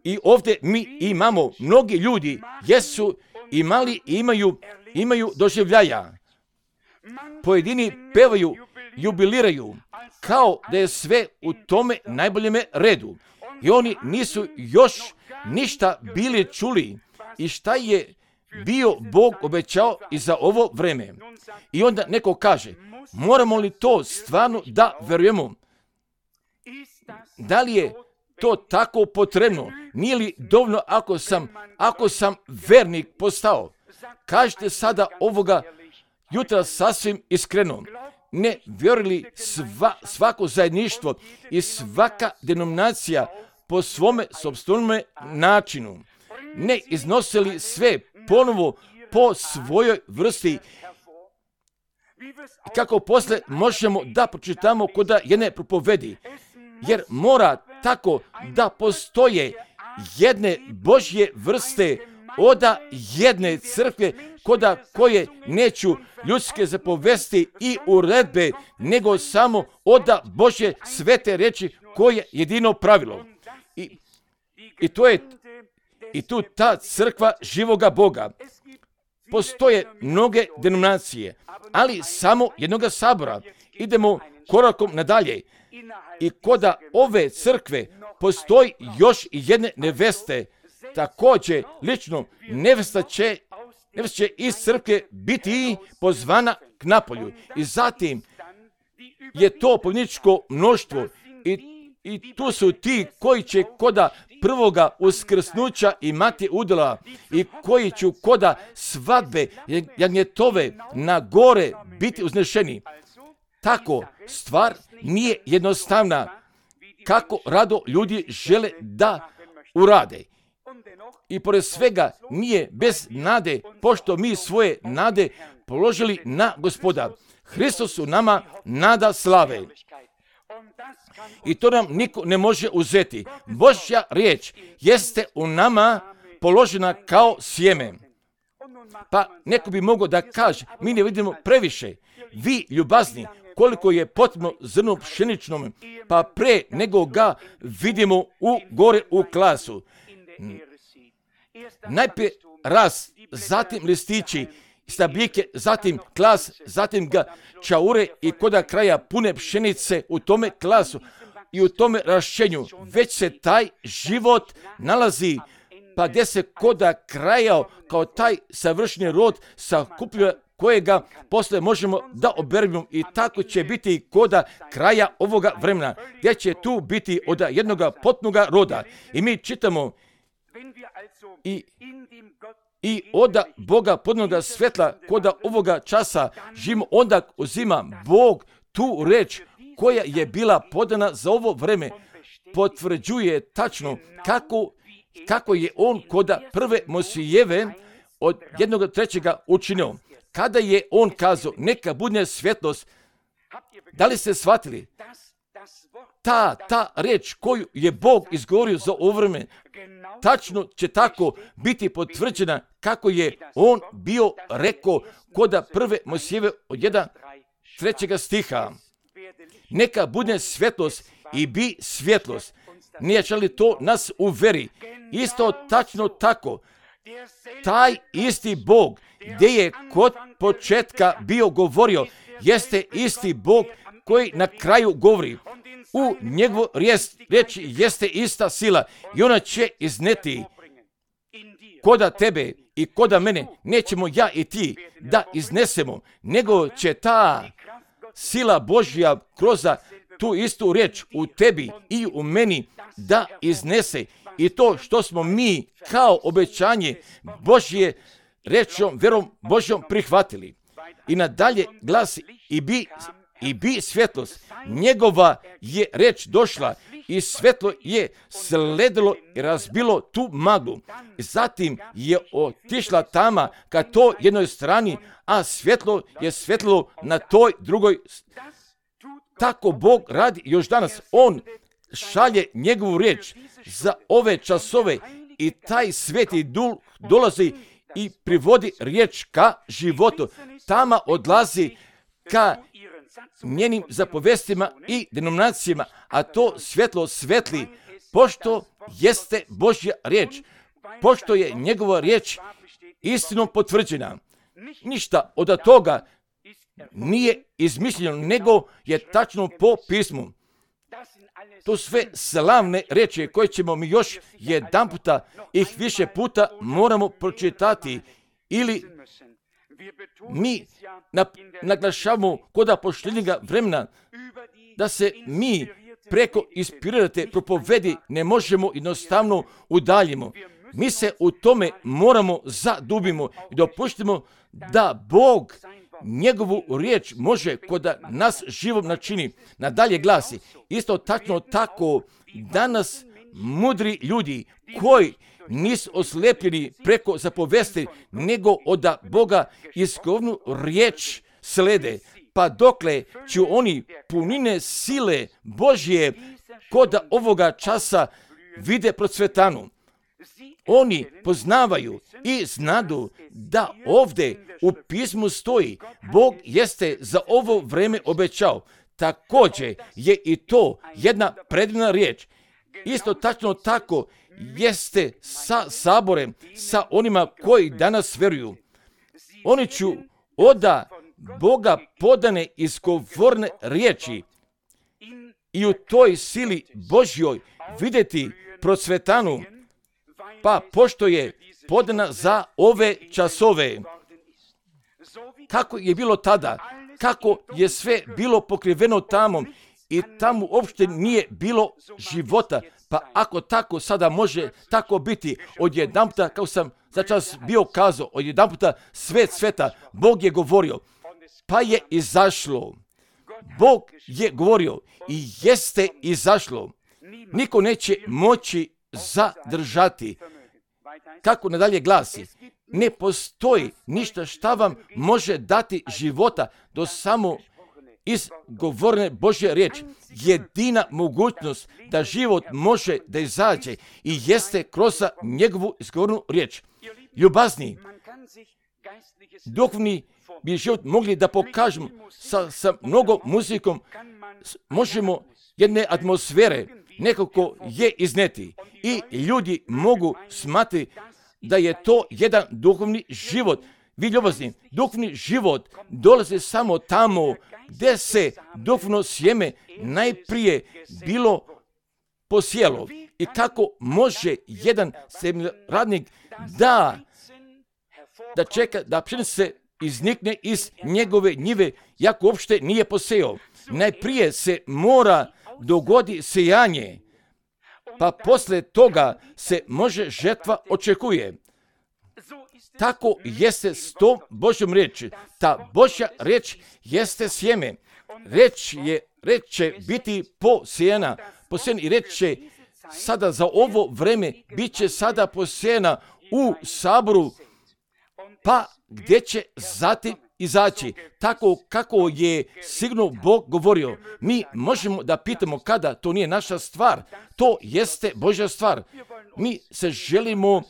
Speaker 1: I ovdje mi imamo, mnogi ljudi jesu imali i imaju, imaju doživljaja. Pojedini pevaju, jubiliraju, kao da je sve u tome najboljeme redu. I oni nisu još ništa bili čuli i šta je bio Bog obećao i za ovo vreme. I onda neko kaže, moramo li to stvarno da verujemo? Da li je to tako potrebno? Nije li dovoljno ako sam, ako sam vernik postao? Kažete sada ovoga jutra sasvim iskreno. Ne vjerili sva, svako zajedništvo i svaka denominacija po svome sopstvenome načinu? Ne iznosili sve ponovo po svojoj vrsti? Kako posle možemo da pročitamo koda jedne propovedi? Jer mora tako da postoje jedne Božje vrste oda jedne crkve koda koje neću ljudske zapovesti i uredbe, nego samo oda Božje svete reči koje jedino pravilo. I, i to je i tu ta crkva živoga Boga. Postoje mnoge denominacije, ali samo jednoga sabora. Idemo korakom nadalje. I koda ove crkve postoji još i jedne neveste. Također, lično, nevesta će, nevesta će iz crkve biti pozvana k napolju. I zatim je to povjedničko mnoštvo i, i tu su ti koji će koda prvoga uskrsnuća imati udjela i koji će koda svadbe jagnjetove na gore biti uznešeni. Tako, stvar nije jednostavna kako rado ljudi žele da urade. I pored svega nije bez nade, pošto mi svoje nade položili na Gospoda. Hristos u nama nada slave. I to nam niko ne može uzeti. Božja riječ jeste u nama položena kao sjeme. Pa neko bi mogao da kaže, mi ne vidimo previše. Vi, ljubazni, koliko je potrebno zrno pšeničnom, pa pre nego ga vidimo u gore u klasu. Najprije ras, zatim listići, stabljike, zatim klas, zatim ga čaure i koda kraja pune pšenice u tome klasu i u tome rašćenju. Već se taj život nalazi, pa gdje se koda kraja kao taj savršeni rod sakuplja kojega posle možemo da oberemo i tako će biti koda kraja ovoga vremena, gdje će tu biti od jednoga potpunoga roda. I mi čitamo i, i od Boga potpunoga svjetla koda ovoga časa živimo, onda uzima Bog tu reč koja je bila podana za ovo vreme, potvrđuje tačno kako, kako je on koda prve Mojsijeve od jednog trećega učinio. Kada je on kazao, neka bude svjetlost, da li ste shvatili? Ta, ta riječ koju je Bog izgovorio za ovo vreme, tačno će tako biti potvrđena kako je on bio rekao koda prve Mojsijeve od jednog trećega stiha. Neka bude svjetlost i bi svjetlost. Nije li to nas uveri? Isto tačno tako. Taj isti Bog gdje je kod početka bio govorio, jeste isti Bog koji na kraju govori. U njegovu riječi jeste ista sila i ona će izneti koda tebe i koda mene. Nećemo ja i ti da iznesemo, nego će ta sila Božja kroz tu istu riječ u tebi i u meni da iznese. I to što smo mi kao obećanje Božje rečom, verom Božjom prihvatili. I nadalje glasi i bi, i bi svjetlost. Njegova je reč došla i svjetlo je sledilo i razbilo tu maglu. Zatim je otišla tama ka toj jednoj strani, a svjetlo je svjetlilo na toj drugoj. Tako Bog radi još danas. On šalje njegovu riječ za ove časove i taj sveti duh dolazi i privodi riječ ka životu. Tama odlazi ka njenim zapovestima i denominacijama, a to svjetlo svetli, pošto jeste Božja riječ, pošto je njegova riječ istinom potvrđena. Ništa od toga nije izmišljeno, nego je tačno po pismu. To sve slavne riječi koje ćemo mi još jedan puta, ih više puta moramo pročitati ili mi naglašavamo koda poštenjega vremena da se mi preko inspirirate propovedi ne možemo jednostavno udaljimo. Mi se u tome moramo zadubimo i dopuštimo da Bog njegovu riječ može koda nas živom načini. Nadalje glasi, isto tačno tako danas mudri ljudi koji nisu oslepljeni preko zapovesti, nego od Boga iskovnu riječ slede. Pa dokle će oni punine sile Božje kod ovoga časa vide procvetanu. Oni poznavaju i znadu da ovdje u pismu stoji, Bog jeste za ovo vreme obećao. Također je i to jedna predivna riječ. Isto tačno tako jeste sa saborem, sa onima koji danas vjeruju. Oni će od Boga podane izgovorne riječi i u toj sili Božjoj vidjeti procvetanu, pa pošto je podana za ove časove. Kako je bilo tada, kako je sve bilo pokriveno tamo i tamo uopšte nije bilo života, pa ako tako sada može tako biti, odjedanputa, kao sam za čas bio kazao, odjedanputa svet sveta, Bog je govorio, pa je izašlo. Bog je govorio i jeste izašlo. Niko neće moći zadržati. Kako nadalje glasi, ne postoji ništa šta vam može dati života do samo izgovorene Božje riječi. Jedina mogućnost da život može da izađe i jeste kroz njegovu izgovornu riječ. Ljubazni, duhovni bi život mogli da pokažemo sa, sa mnogo muzikom, možemo jedne atmosfere nekako je izneti i ljudi mogu smatrati da je to jedan duhovni život. Vi ljubazni, duhovni život dolazi samo tamo gdje se duhovno sjeme najprije bilo posijelo. I kako može jedan radnik da, da čeka da pšenica iznikne iz njegove njive, jako uopšte nije posejao. Najprije se mora dogodi sejanje, pa posle toga se može žetva očekuje. tako jeste s tom Božjom riječi. Ta Božja riječ jeste sjeme. Reč je, reč će biti posijena, posijena i reč će sada za ovo vreme bit će sada posijena u saboru, pa gdje će zatim izaći, tako kako je sigurno Bog govorio. Mi možemo da pitamo kada, to nije naša stvar, to jeste Božja stvar. Mi se želimo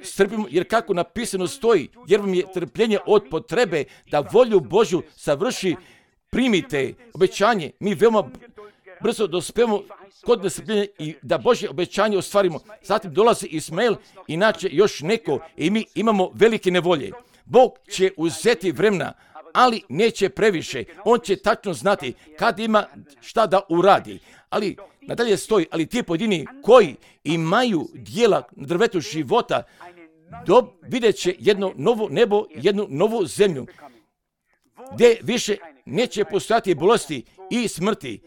Speaker 1: strpimo, jer kako napisano stoji, jer vam je trpljenje od potrebe da volju Božju savrši, primite obećanje. Mi veoma brzo dospemo kod nestrpljenja i da Božje obećanje ostvarimo. Zatim dolazi Ismael, inače još neko, i mi imamo velike nevolje. Bog će uzeti vremena, ali neće previše. On će tačno znati kad ima šta da uradi. Ali nadalje stoji, ali ti pojedini koji imaju dijela na drvetu života, do, vidjet će jedno novo nebo, jednu novu zemlju, gdje više neće postojati bolesti i smrti.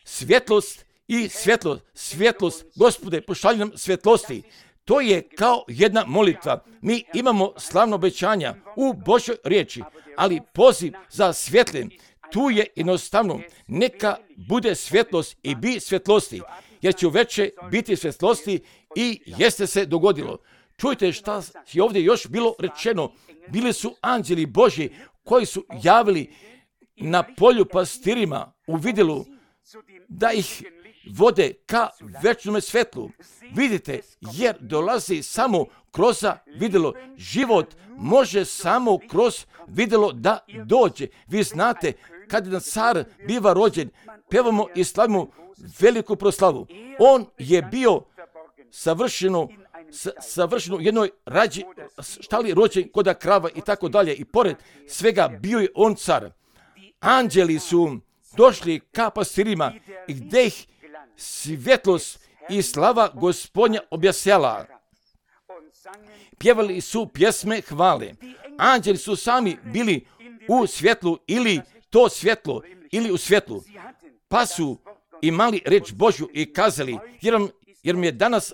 Speaker 1: Svjetlost i svjetlost, svjetlost, Gospode, pošalji nam svjetlosti. To je kao jedna molitva. Mi imamo slavno obećanja u Božoj riječi, ali poziv za svjetljem, tu je jednostavno, neka bude svjetlost i bi svjetlosti, jer će uveče biti svjetlosti i jeste se dogodilo. Čujte šta je ovdje još bilo rečeno. Bili su anđeli Božji koji su javili na polju pastirima u vidilu da ih vode ka večnome svjetlu. Vidite, jer dolazi samo kroz vidjelo. Život može samo kroz vidjelo da dođe. Vi znate, kad jedan car biva rođen, pevamo i slavimo veliku proslavu. On je bio savršeno, savršeno jednoj rađi, štali rođen koda krava i tako dalje. I pored svega bio je on car. Anđeli su došli ka pastirima i gdje ih svjetlost i slava Gospodnja objasjala. Pjevali su pjesme hvale. Anđeli su sami bili u svjetlu ili to svjetlo ili u svjetlu. Pa su imali reč Božju i kazali, jer vam, jer mi je danas,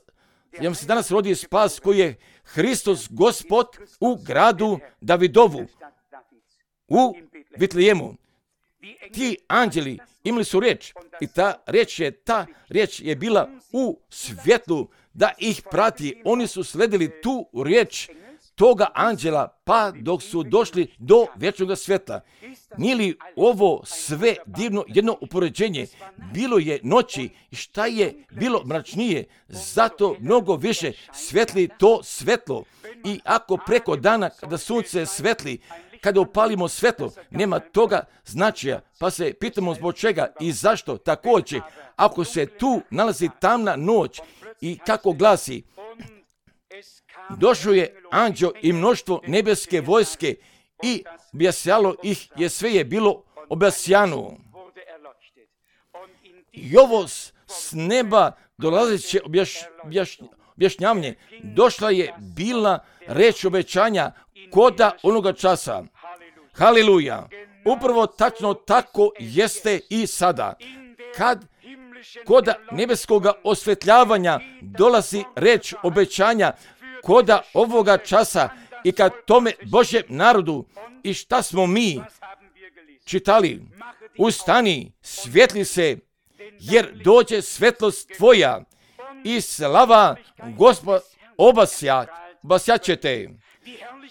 Speaker 1: jer vam se danas rodi spas koji je Hristos Gospod u gradu Davidovu, u Vitlejemu. Ti anđeli imali su riječ i ta riječ je, ta riječ je bila u svjetlu da ih prati. Oni su sledili tu riječ toga anđela pa dok su došli do vječnog svjetla. Nije li ovo sve divno jedno upoređenje? Bilo je noći i šta je bilo mračnije, zato mnogo više svetli to svetlo. I ako preko dana kada sunce svetli, kada upalimo svetlo, nema toga značaja, pa se pitamo zbog čega i zašto. Također, ako se tu nalazi tamna noć i kako glasi, došao je anđeo i mnoštvo nebeske vojske i objasjalo ih je, sve je bilo objasjano. I ovo s neba dolazeće objaš, objaš, objašnjavanje, došla je bila reč obećanja koda onoga časa. Haleluja! Upravo tačno tako jeste i sada. Kad koda nebeskoga osvetljavanja dolazi reč obećanja koda ovoga časa i kad tome Božjem narodu, i šta smo mi čitali? Ustani, svjetli se, jer dođe svetlost tvoja i slava Gospod obasja, obasjaćete.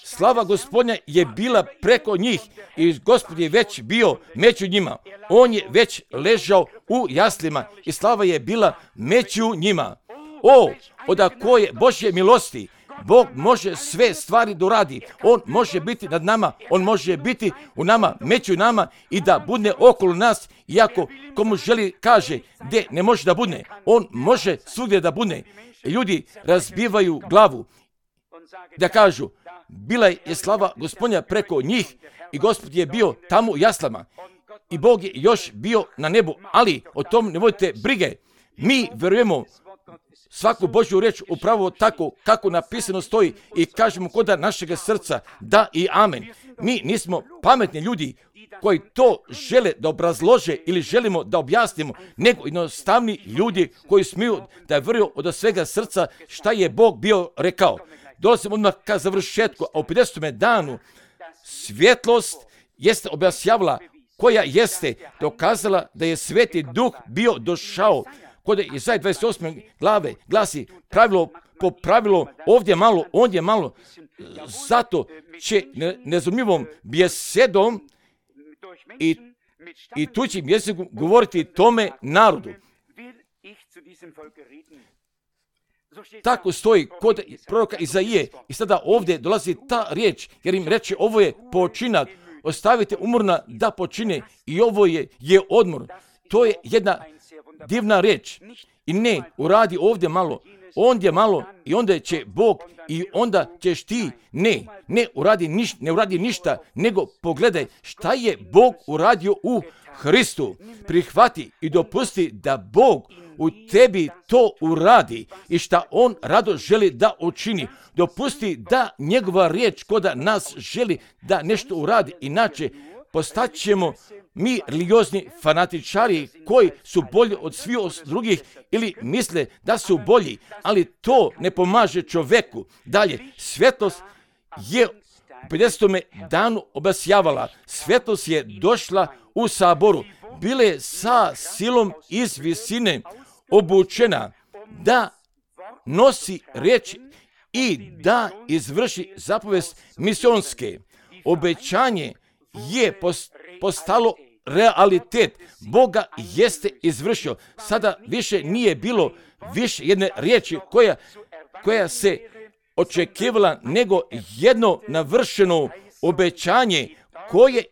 Speaker 1: Slava Gospodnja je bila preko njih i Gospod je već bio među njima. On je već ležao u jaslima i slava je bila među njima. O, od koje Božje milosti, Bog može sve stvari doradi. On može biti nad nama, On može biti u nama, među nama i da budne okolo nas. Iako komu želi kaže gdje ne može da budne, On može svugdje da budne. Ljudi razbivaju glavu da kažu, bila je slava Gospodnja preko njih i Gospod je bio tamo u jaslama i Bog je još bio na nebu, ali o tom ne vodite brige. Mi verujemo svaku Božju riječ upravo tako kako napisano stoji i kažemo koda našega srca da i amen. Mi nismo pametni ljudi koji to žele da obrazlože ili želimo da objasnimo, nego jednostavni ljudi koji smiju da veruju od svega srca šta je Bog bio rekao. dolazim odmah ka završetku, a u pedesetom danu svjetlost jeste objašnjavala, koja jeste dokazala da je Sveti Duh bio došao. Kod Izaje dvadeset osme glave glasi pravilo po pravilo, ovdje malo, ondje malo, zato će nezumljivom bjesedom i, i tuđim jezikom govoriti tome narodu. Tako stoji kod proroka Izaije i sada ovdje dolazi ta riječ, jer im reče ovo je počinak, ostavite umorna da počine i ovo je, je odmor. To je jedna divna riječ. I ne, uradi ovdje malo, ondje malo i onda će Bog i onda ćeš ti. Ne, ne uradi, niš, ne uradi ništa, nego pogledaj šta je Bog uradio u Hristu. Prihvati i dopusti da Bog u tebi to uradi i šta On rado želi da učini. Dopusti da njegova riječ koda nas želi da nešto uradi, inače postaćemo mi religiozni fanatičari koji su bolji od svih drugih ili misle da su bolji, ali to ne pomaže čovjeku. Dalje, svjetlost je u pedesetom danu obasjavala. Svjetlost je došla u saboru. Bile sa silom iz visine obučena da nosi riječ i da izvrši zapovest misionske. Obećanje je postalo realitet. Boga jeste izvršio. Sada više nije bilo više jedne riječi koja, koja se očekivala, nego jedno navršeno obećanje koje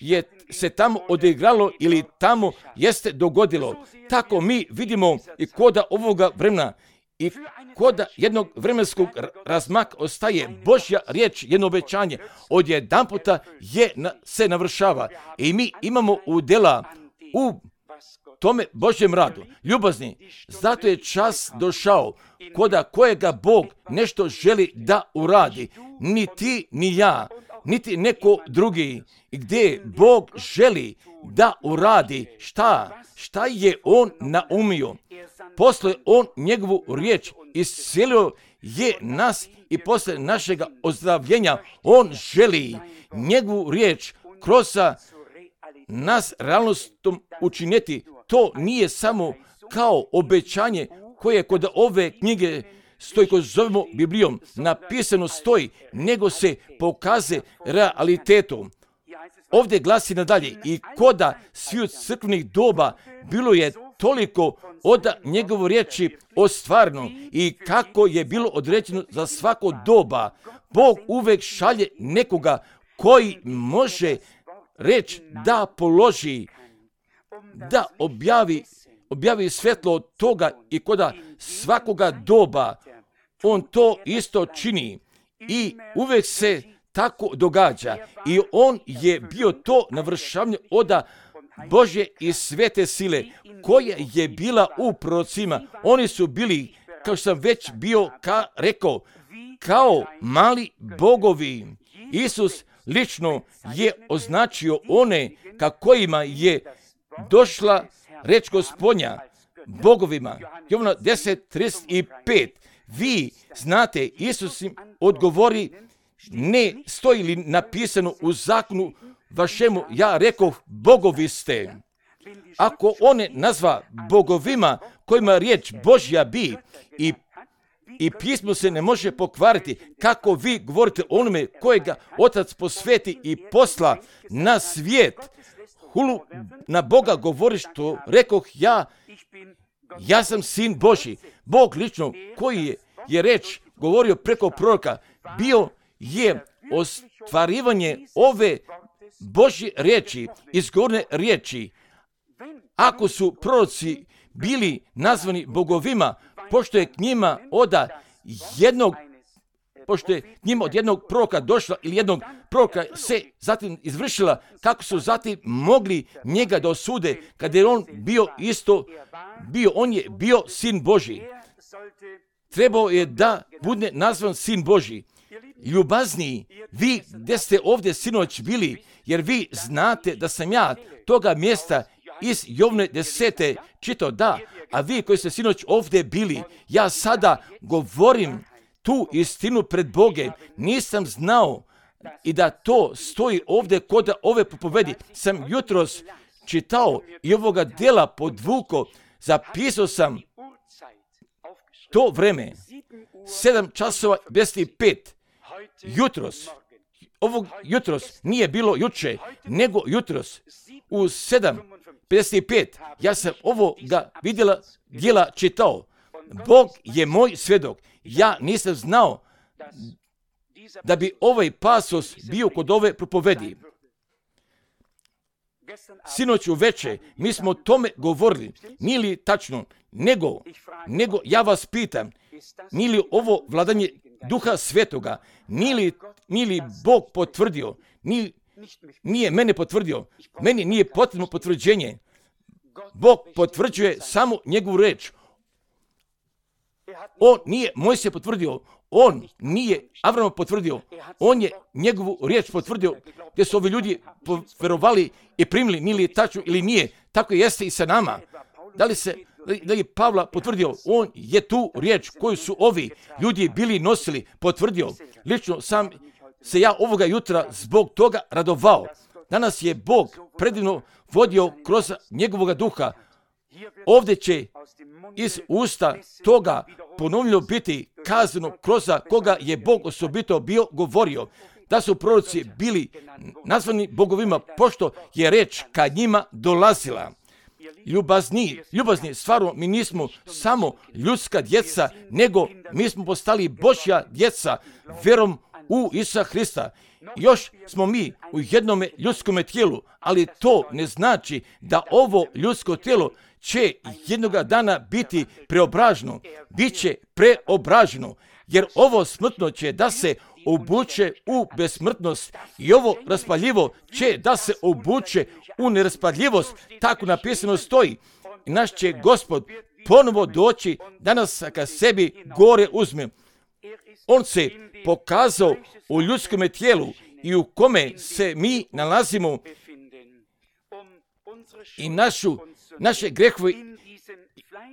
Speaker 1: je se tamo odigralo ili tamo jeste dogodilo. Tako mi vidimo i koda ovoga vremena i koda jednog vremenskog razmaka ostaje Božja riječ, jedno obećanje, odjedanputa je na, se navršava. I mi imamo udjela u tome Božjem radu. Ljubazni, zato je čas došao koda kojega Bog nešto želi da uradi. Ni ti, ni ja, niti neko drugi. Gdje Bog želi da uradi šta? Šta je On naumio? Posle On njegovu riječ iscelio je nas i posle našega ozdravljenja On želi njegovu riječ kroz nas realnostom učiniti. To nije samo kao obećanje koje kod ove knjige stoji, koju zovemo Biblijom, napisano stoji, nego se pokaze realitetom. Ovdje glasi nadalje, i koda sviju crkvenih doba bilo je toliko od njegovo riječi ostvareno i kako je bilo određeno za svako doba. Bog uvek šalje nekoga koji može reč da položi, da objavi, objavi svetlo od toga i koda svakoga doba. On to isto čini i uvek se tako događa i on je bio to navršavanje oda Božje i svete sile koja je bila u prorocima. Oni su bili, kao što sam već bio ka, rekao, kao mali bogovi. Isus lično je označio one ka kojima je došla reč Gospodnja, bogovima. Jovana deset trideset pet. Vi znate, Isus im odgovori, ne stoji li napisano u zakonu vašemu, ja rekoh, bogovi ste. Ako one nazva bogovima kojima riječ Božja bi i, i pismo se ne može pokvariti, kako vi govorite onome kojega Otac posveti i posla na svijet, hulu na Boga govori što rekoh ja, ja sam sin Božji. Bog lično koji je, je reč govorio preko proroka, bio je ostvarivanje ove Božje riječi, izgovorne riječi. Ako su proroci bili nazvani bogovima, pošto je k njima oda jednog, pošto je k njima od jednog proroka došla ili jednog proroka se zatim izvršila, kako su zatim mogli njega da osude, kada je on bio isto, bio, on je bio sin Božji. Trebao je da bude nazvan sin Božji. Ljubazniji, vi gdje ste ovdje sinoć bili, jer vi znate da sam ja toga mjesta iz Jovne desete čitao, da, a vi koji ste sinoć ovdje bili, ja sada govorim tu istinu pred Boge. Nisam znao i da to stoji ovdje kod ove propovedi. Sam jutros čitao i ovoga djela podvuko, zapisao sam to vreme, sedam časova pedeset pet, jutros, ovog jutros nije bilo juče, nego jutros, u sedam pedeset pet, ja sam ovoga vidjela, djela čitao. Bog je moj svjedok, ja nisam znao da bi ovaj pasos bio kod ove propovedi. Sinoć uveče mi smo o tome govorili, nije li tačno, nego, nego ja vas pitam, nije li ovo vladanje Duha Svetoga, nije li, nije li Bog potvrdio, nije, nije mene potvrdio, meni nije potrebno potvrđenje. Bog potvrđuje samo njegovu reč. On nije Mojsije potvrdio, on nije Avrama potvrdio, on je njegovu riječ potvrdio, gdje su ovi ljudi verovali i primili, nije li tačno ili nije. Tako jeste i sa nama. Da li se, da je Pavla potvrdio, on je tu riječ koju su ovi ljudi bili nosili, potvrdio. Lično sam se ja ovoga jutra zbog toga radovao. Danas je Bog predivno vodio kroz njegovoga duha. Ovdje će iz usta toga ponovno biti kazano kroz koga je Bog osobito bio govorio. Da su proroci bili nazvani bogovima, pošto je reč ka njima dolazila. Ljubazni, ljubazni, stvarno mi nismo samo ljudska djeca, nego mi smo postali Božja djeca vjerom u Isusa Hrista. Još smo mi u jednome ljudskome tijelu, ali to ne znači da ovo ljudsko tijelo će jednoga dana biti preobraženo. Biće preobraženo, jer ovo smrtno će da se obuče u besmrtnost i ovo raspaljivo će da se obuče u neraspadljivost. Tako napisano stoji. I naš će Gospod ponovo doći da nas ka sebi gore uzme. On se pokazao u ljudskom tijelu i u kome se mi nalazimo i našu, naše grehove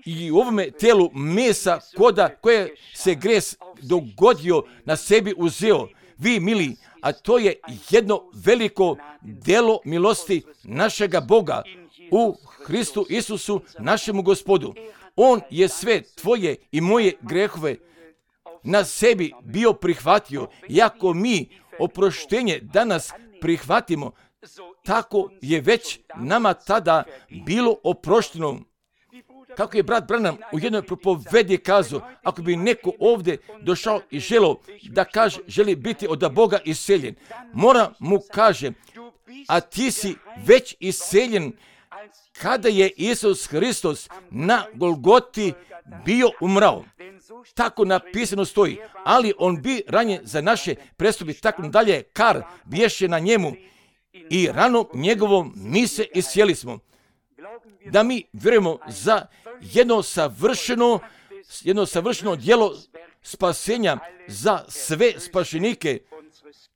Speaker 1: i u ovome tijelu mesa koda koje se gres dogodio na sebi uzeo. Vi mili, a to je jedno veliko djelo milosti našega Boga u Hristu Isusu, našemu Gospodu. On je sve tvoje i moje grehove na sebi bio prihvatio. I ako mi oproštenje danas prihvatimo, tako je već nama tada bilo oprošteno. Kako je brat Branham u jednoj propovedi kazao, ako bi neko ovdje došao i želio da kaže, želi biti od Boga iseljen, mora mu kaže, a ti si već iseljen kada je Isus Hristos na Golgoti bio umrao. Tako napisano stoji, ali on bi ranjen za naše prestupi, tako dalje, kar biješe na njemu i ranom njegovom mi se isjeli smo. Da mi vjerujemo za jedno savršeno, jedno savršeno djelo spasenja za sve spašenike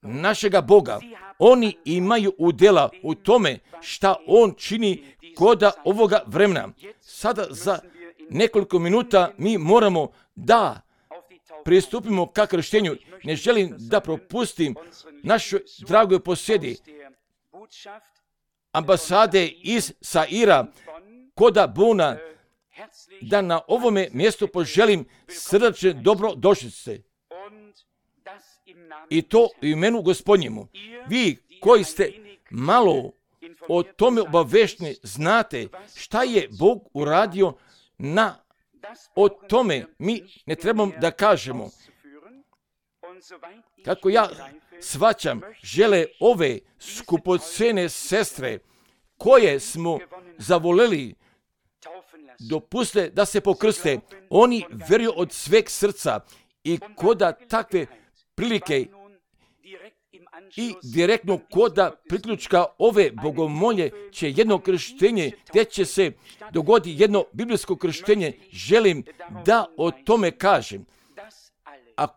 Speaker 1: našega Boga. Oni imaju udjela u tome šta on čini koda ovoga vremena. Sada za nekoliko minuta mi moramo da pristupimo ka krštenju. Ne želim da propustim našoj dragoj posjedi ambasade iz Saira koda Bona, da na ovome mjestu poželim srdačne dobrodošlice. I to u imenu Gospodnjemu. Vi koji ste malo o tome obavešteni, znate šta je Bog uradio na o tome. Mi ne trebamo da kažemo. Kako ja shvaćam, žele ove skupocene sestre koje smo zavoleli dopuste da se pokrste. Oni vjeruju od sveg srca i koda takve prilike i direktno koda priključka ove bogomolje će jedno krštenje, gdje će se dogoditi jedno biblijsko krštenje. Želim da o tome kažem. A,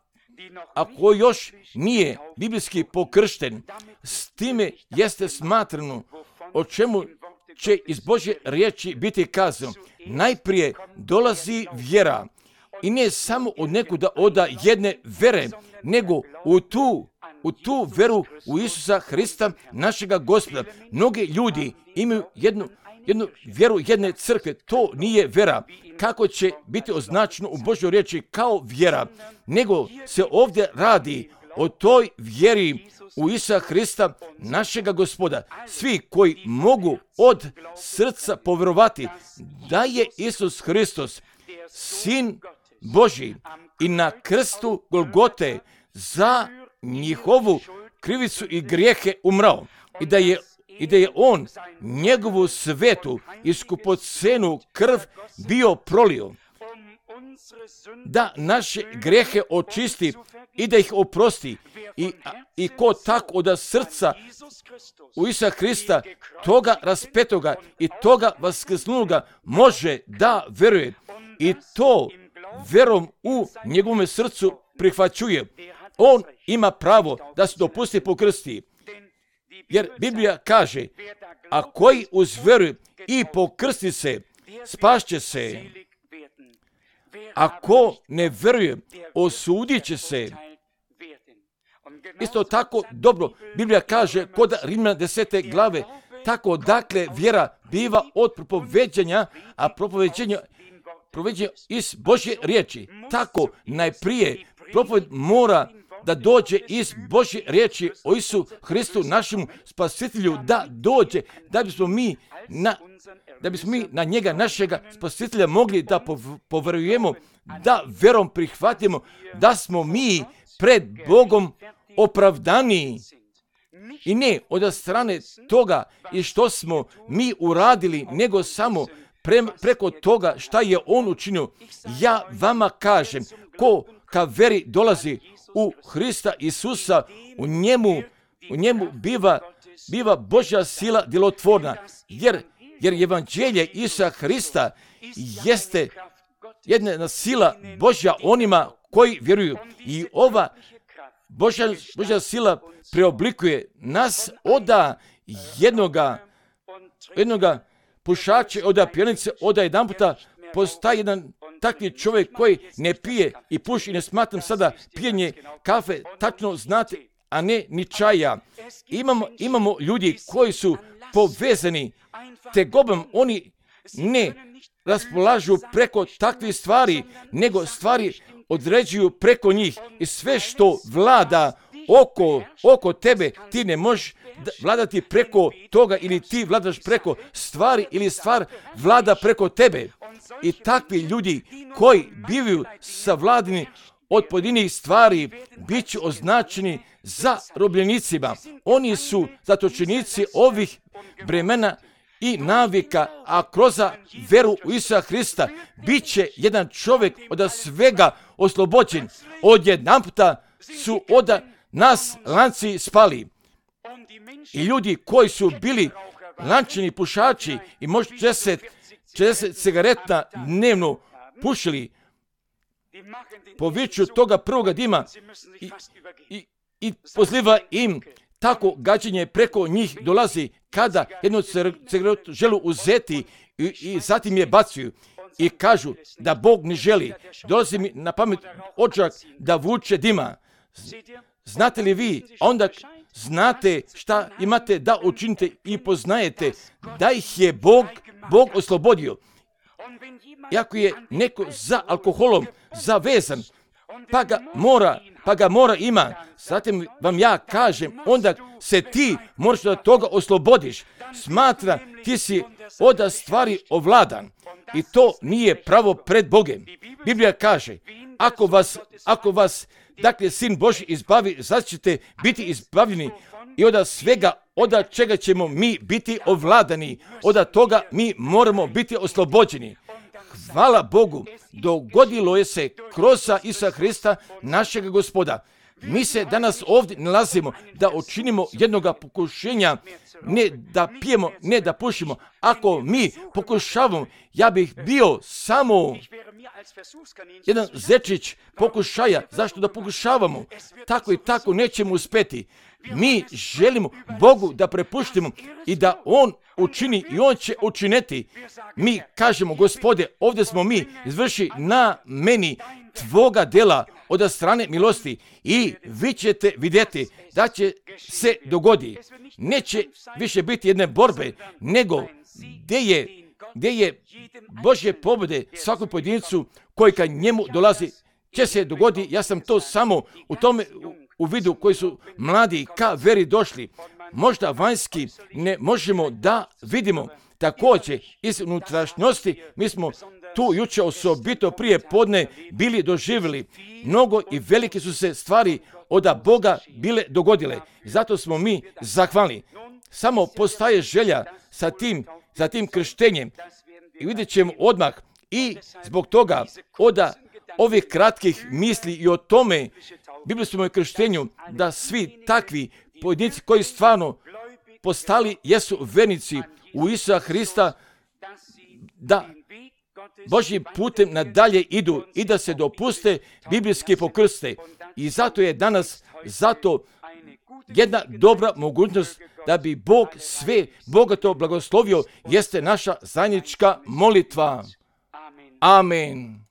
Speaker 1: ako još nije biblijski pokršten, s time jeste smatrano o čemu će iz Božje riječi biti kazano. Najprije dolazi vjera I ne samo od nekuda oda jedne vere, nego u tu, u tu veru u Isusa Hrista, našega Gospoda. Mnogi ljudi imaju jednu, jednu vjeru jedne crkve. To nije vera. Kako će biti označeno u Božjoj riječi kao vjera, nego se ovdje radi o toj vjeri u Isusa Hrista, našega Gospoda. Svi koji mogu od srca povjerovati da je Isus Hristos, Sin Božji, i na krstu Golgote za njihovu krivicu i grijehe umrao, i da je i da je on njegovu svetu i skupocenu krv bio prolio, da naše grijehe očisti i da ih oprosti. I, i ko tako od srca u Isusa Hrista, toga raspetoga i toga vaskrsnuloga, može da veruje i to verom u njegovom srcu prihvaćuje. On ima pravo da se dopusti pokrsti. Jer Biblija kaže, a koji uz veru i pokrsti se, spašće se. Ako ne veruje, osudit će se. Isto tako dobro, Biblija kaže kod Rimljana desete glave, tako dakle vjera biva od propoveđanja, a propoveđenje proveđenje iz Božje riječi. Tako najprije propoved mora da dođe iz Božje riječi o Isu Hristu, našemu spasitelju, da dođe, da bismo mi na, da bismo mi na njega, našega spasitelja, mogli da poverujemo, da verom prihvatimo da smo mi pred Bogom opravdani. I ne od strane toga i što smo mi uradili, nego samo pre, preko toga šta je on učinio. Ja vama kažem, ko ka veri dolazi u Hrista Isusa, u njemu, u njemu biva, biva Božja sila djelotvorna, jer, jer evanđelje Isusa Hrista jeste jedna sila Božja onima koji vjeruju. I ova Božja, Božja sila preoblikuje nas oda jednoga, jednoga pušača, oda pijanice, oda jedan puta postaje jedan takvi čovjek koji ne pije i puši, i ne smatram sada pijenje kafe, tačno znate, a ne ni čaja. Imamo, imamo ljudi koji su povezani tegobom, oni ne raspolažu preko takvih stvari, nego stvari određuju preko njih, i sve što vlada oko, oko tebe, ti ne možeš vladati preko toga, ili ti vladaš preko stvari, ili stvar vlada preko tebe. I takvi ljudi koji bivaju savladani od pojedinih stvari bit će označeni za robljenicima. Oni su zatočenici ovih bremena i navika, a kroz veru u Isusa Hrista bit će jedan čovjek od svega oslobođen. Odjedanputa su od nas lanci spali. I ljudi koji su bili lančani pušači i možda četrdeset cigareta dnevno pušili, po viću toga prvoga dima i, i, i pozliva im, tako gađenje preko njih dolazi kada jednu cigaretu želu uzeti i, i zatim je bacaju i kažu da Bog ne želi. Dolazi mi na pamet odžak da vuče dima. Znate li vi, onda znate šta imate da učinite i poznajete da ih je Bog, Bog oslobodio. I ako je neko za alkoholom zavezan, pa ga mora, pa ga mora ima, zatim vam ja kažem, onda se ti moraš da toga oslobodiš. Smatra, ti si od stvari ovladan i to nije pravo pred Bogem. Biblija kaže, ako vas, ako vas dakle, Sin Božji izbavi, sad ćete biti izbavljeni i od svega, od čega ćemo mi biti ovladani, od toga mi moramo biti oslobođeni. Hvala Bogu, dogodilo je se kroz Isusa Hrista, našeg Gospoda. Mi se danas ovdje nalazimo da učinimo jednoga pokušenja ne da pijemo, ne da pušimo. Ako mi pokušavamo, ja bih bio samo jedan zečić pokušaja. Zašto da pokušavamo? Tako i tako nećemo uspeti. Mi želimo Bogu da prepuštimo i da On učini i On će učiniti. Mi kažemo, Gospode, ovdje smo mi, izvrši na meni Tvoga dela od strane milosti i vi ćete vidjeti da će se dogodi. Neće više biti jedne borbe, nego gdje je, gdje je Božje pobjede svakom pojedincu koji ka njemu dolazi će se dogodi. Ja sam to samo u tome u vidu koji su mladi ka veri došli. Možda vanjski ne možemo da vidimo. Također iz unutrašnjosti mi smo tu jučer osobito prije podne bili doživjeli. Mnogo i velike su se stvari od Boga bile dogodile. Zato smo mi zahvalni. Samo postaje želja sa tim, za tim krštenjem. I vidjet ćemo odmah i zbog toga od ovih kratkih misli i o tome biblijskom krštenju da svi takvi pojedinci koji stvarno postali jesu vernici u Isusa Hrista, da Božjim putem nadalje idu i da se dopuste biblijski pokrste. I zato je danas zato jedna dobra mogućnost da bi Bog sve bogato blagoslovio, jeste naša zajednička molitva. Amen.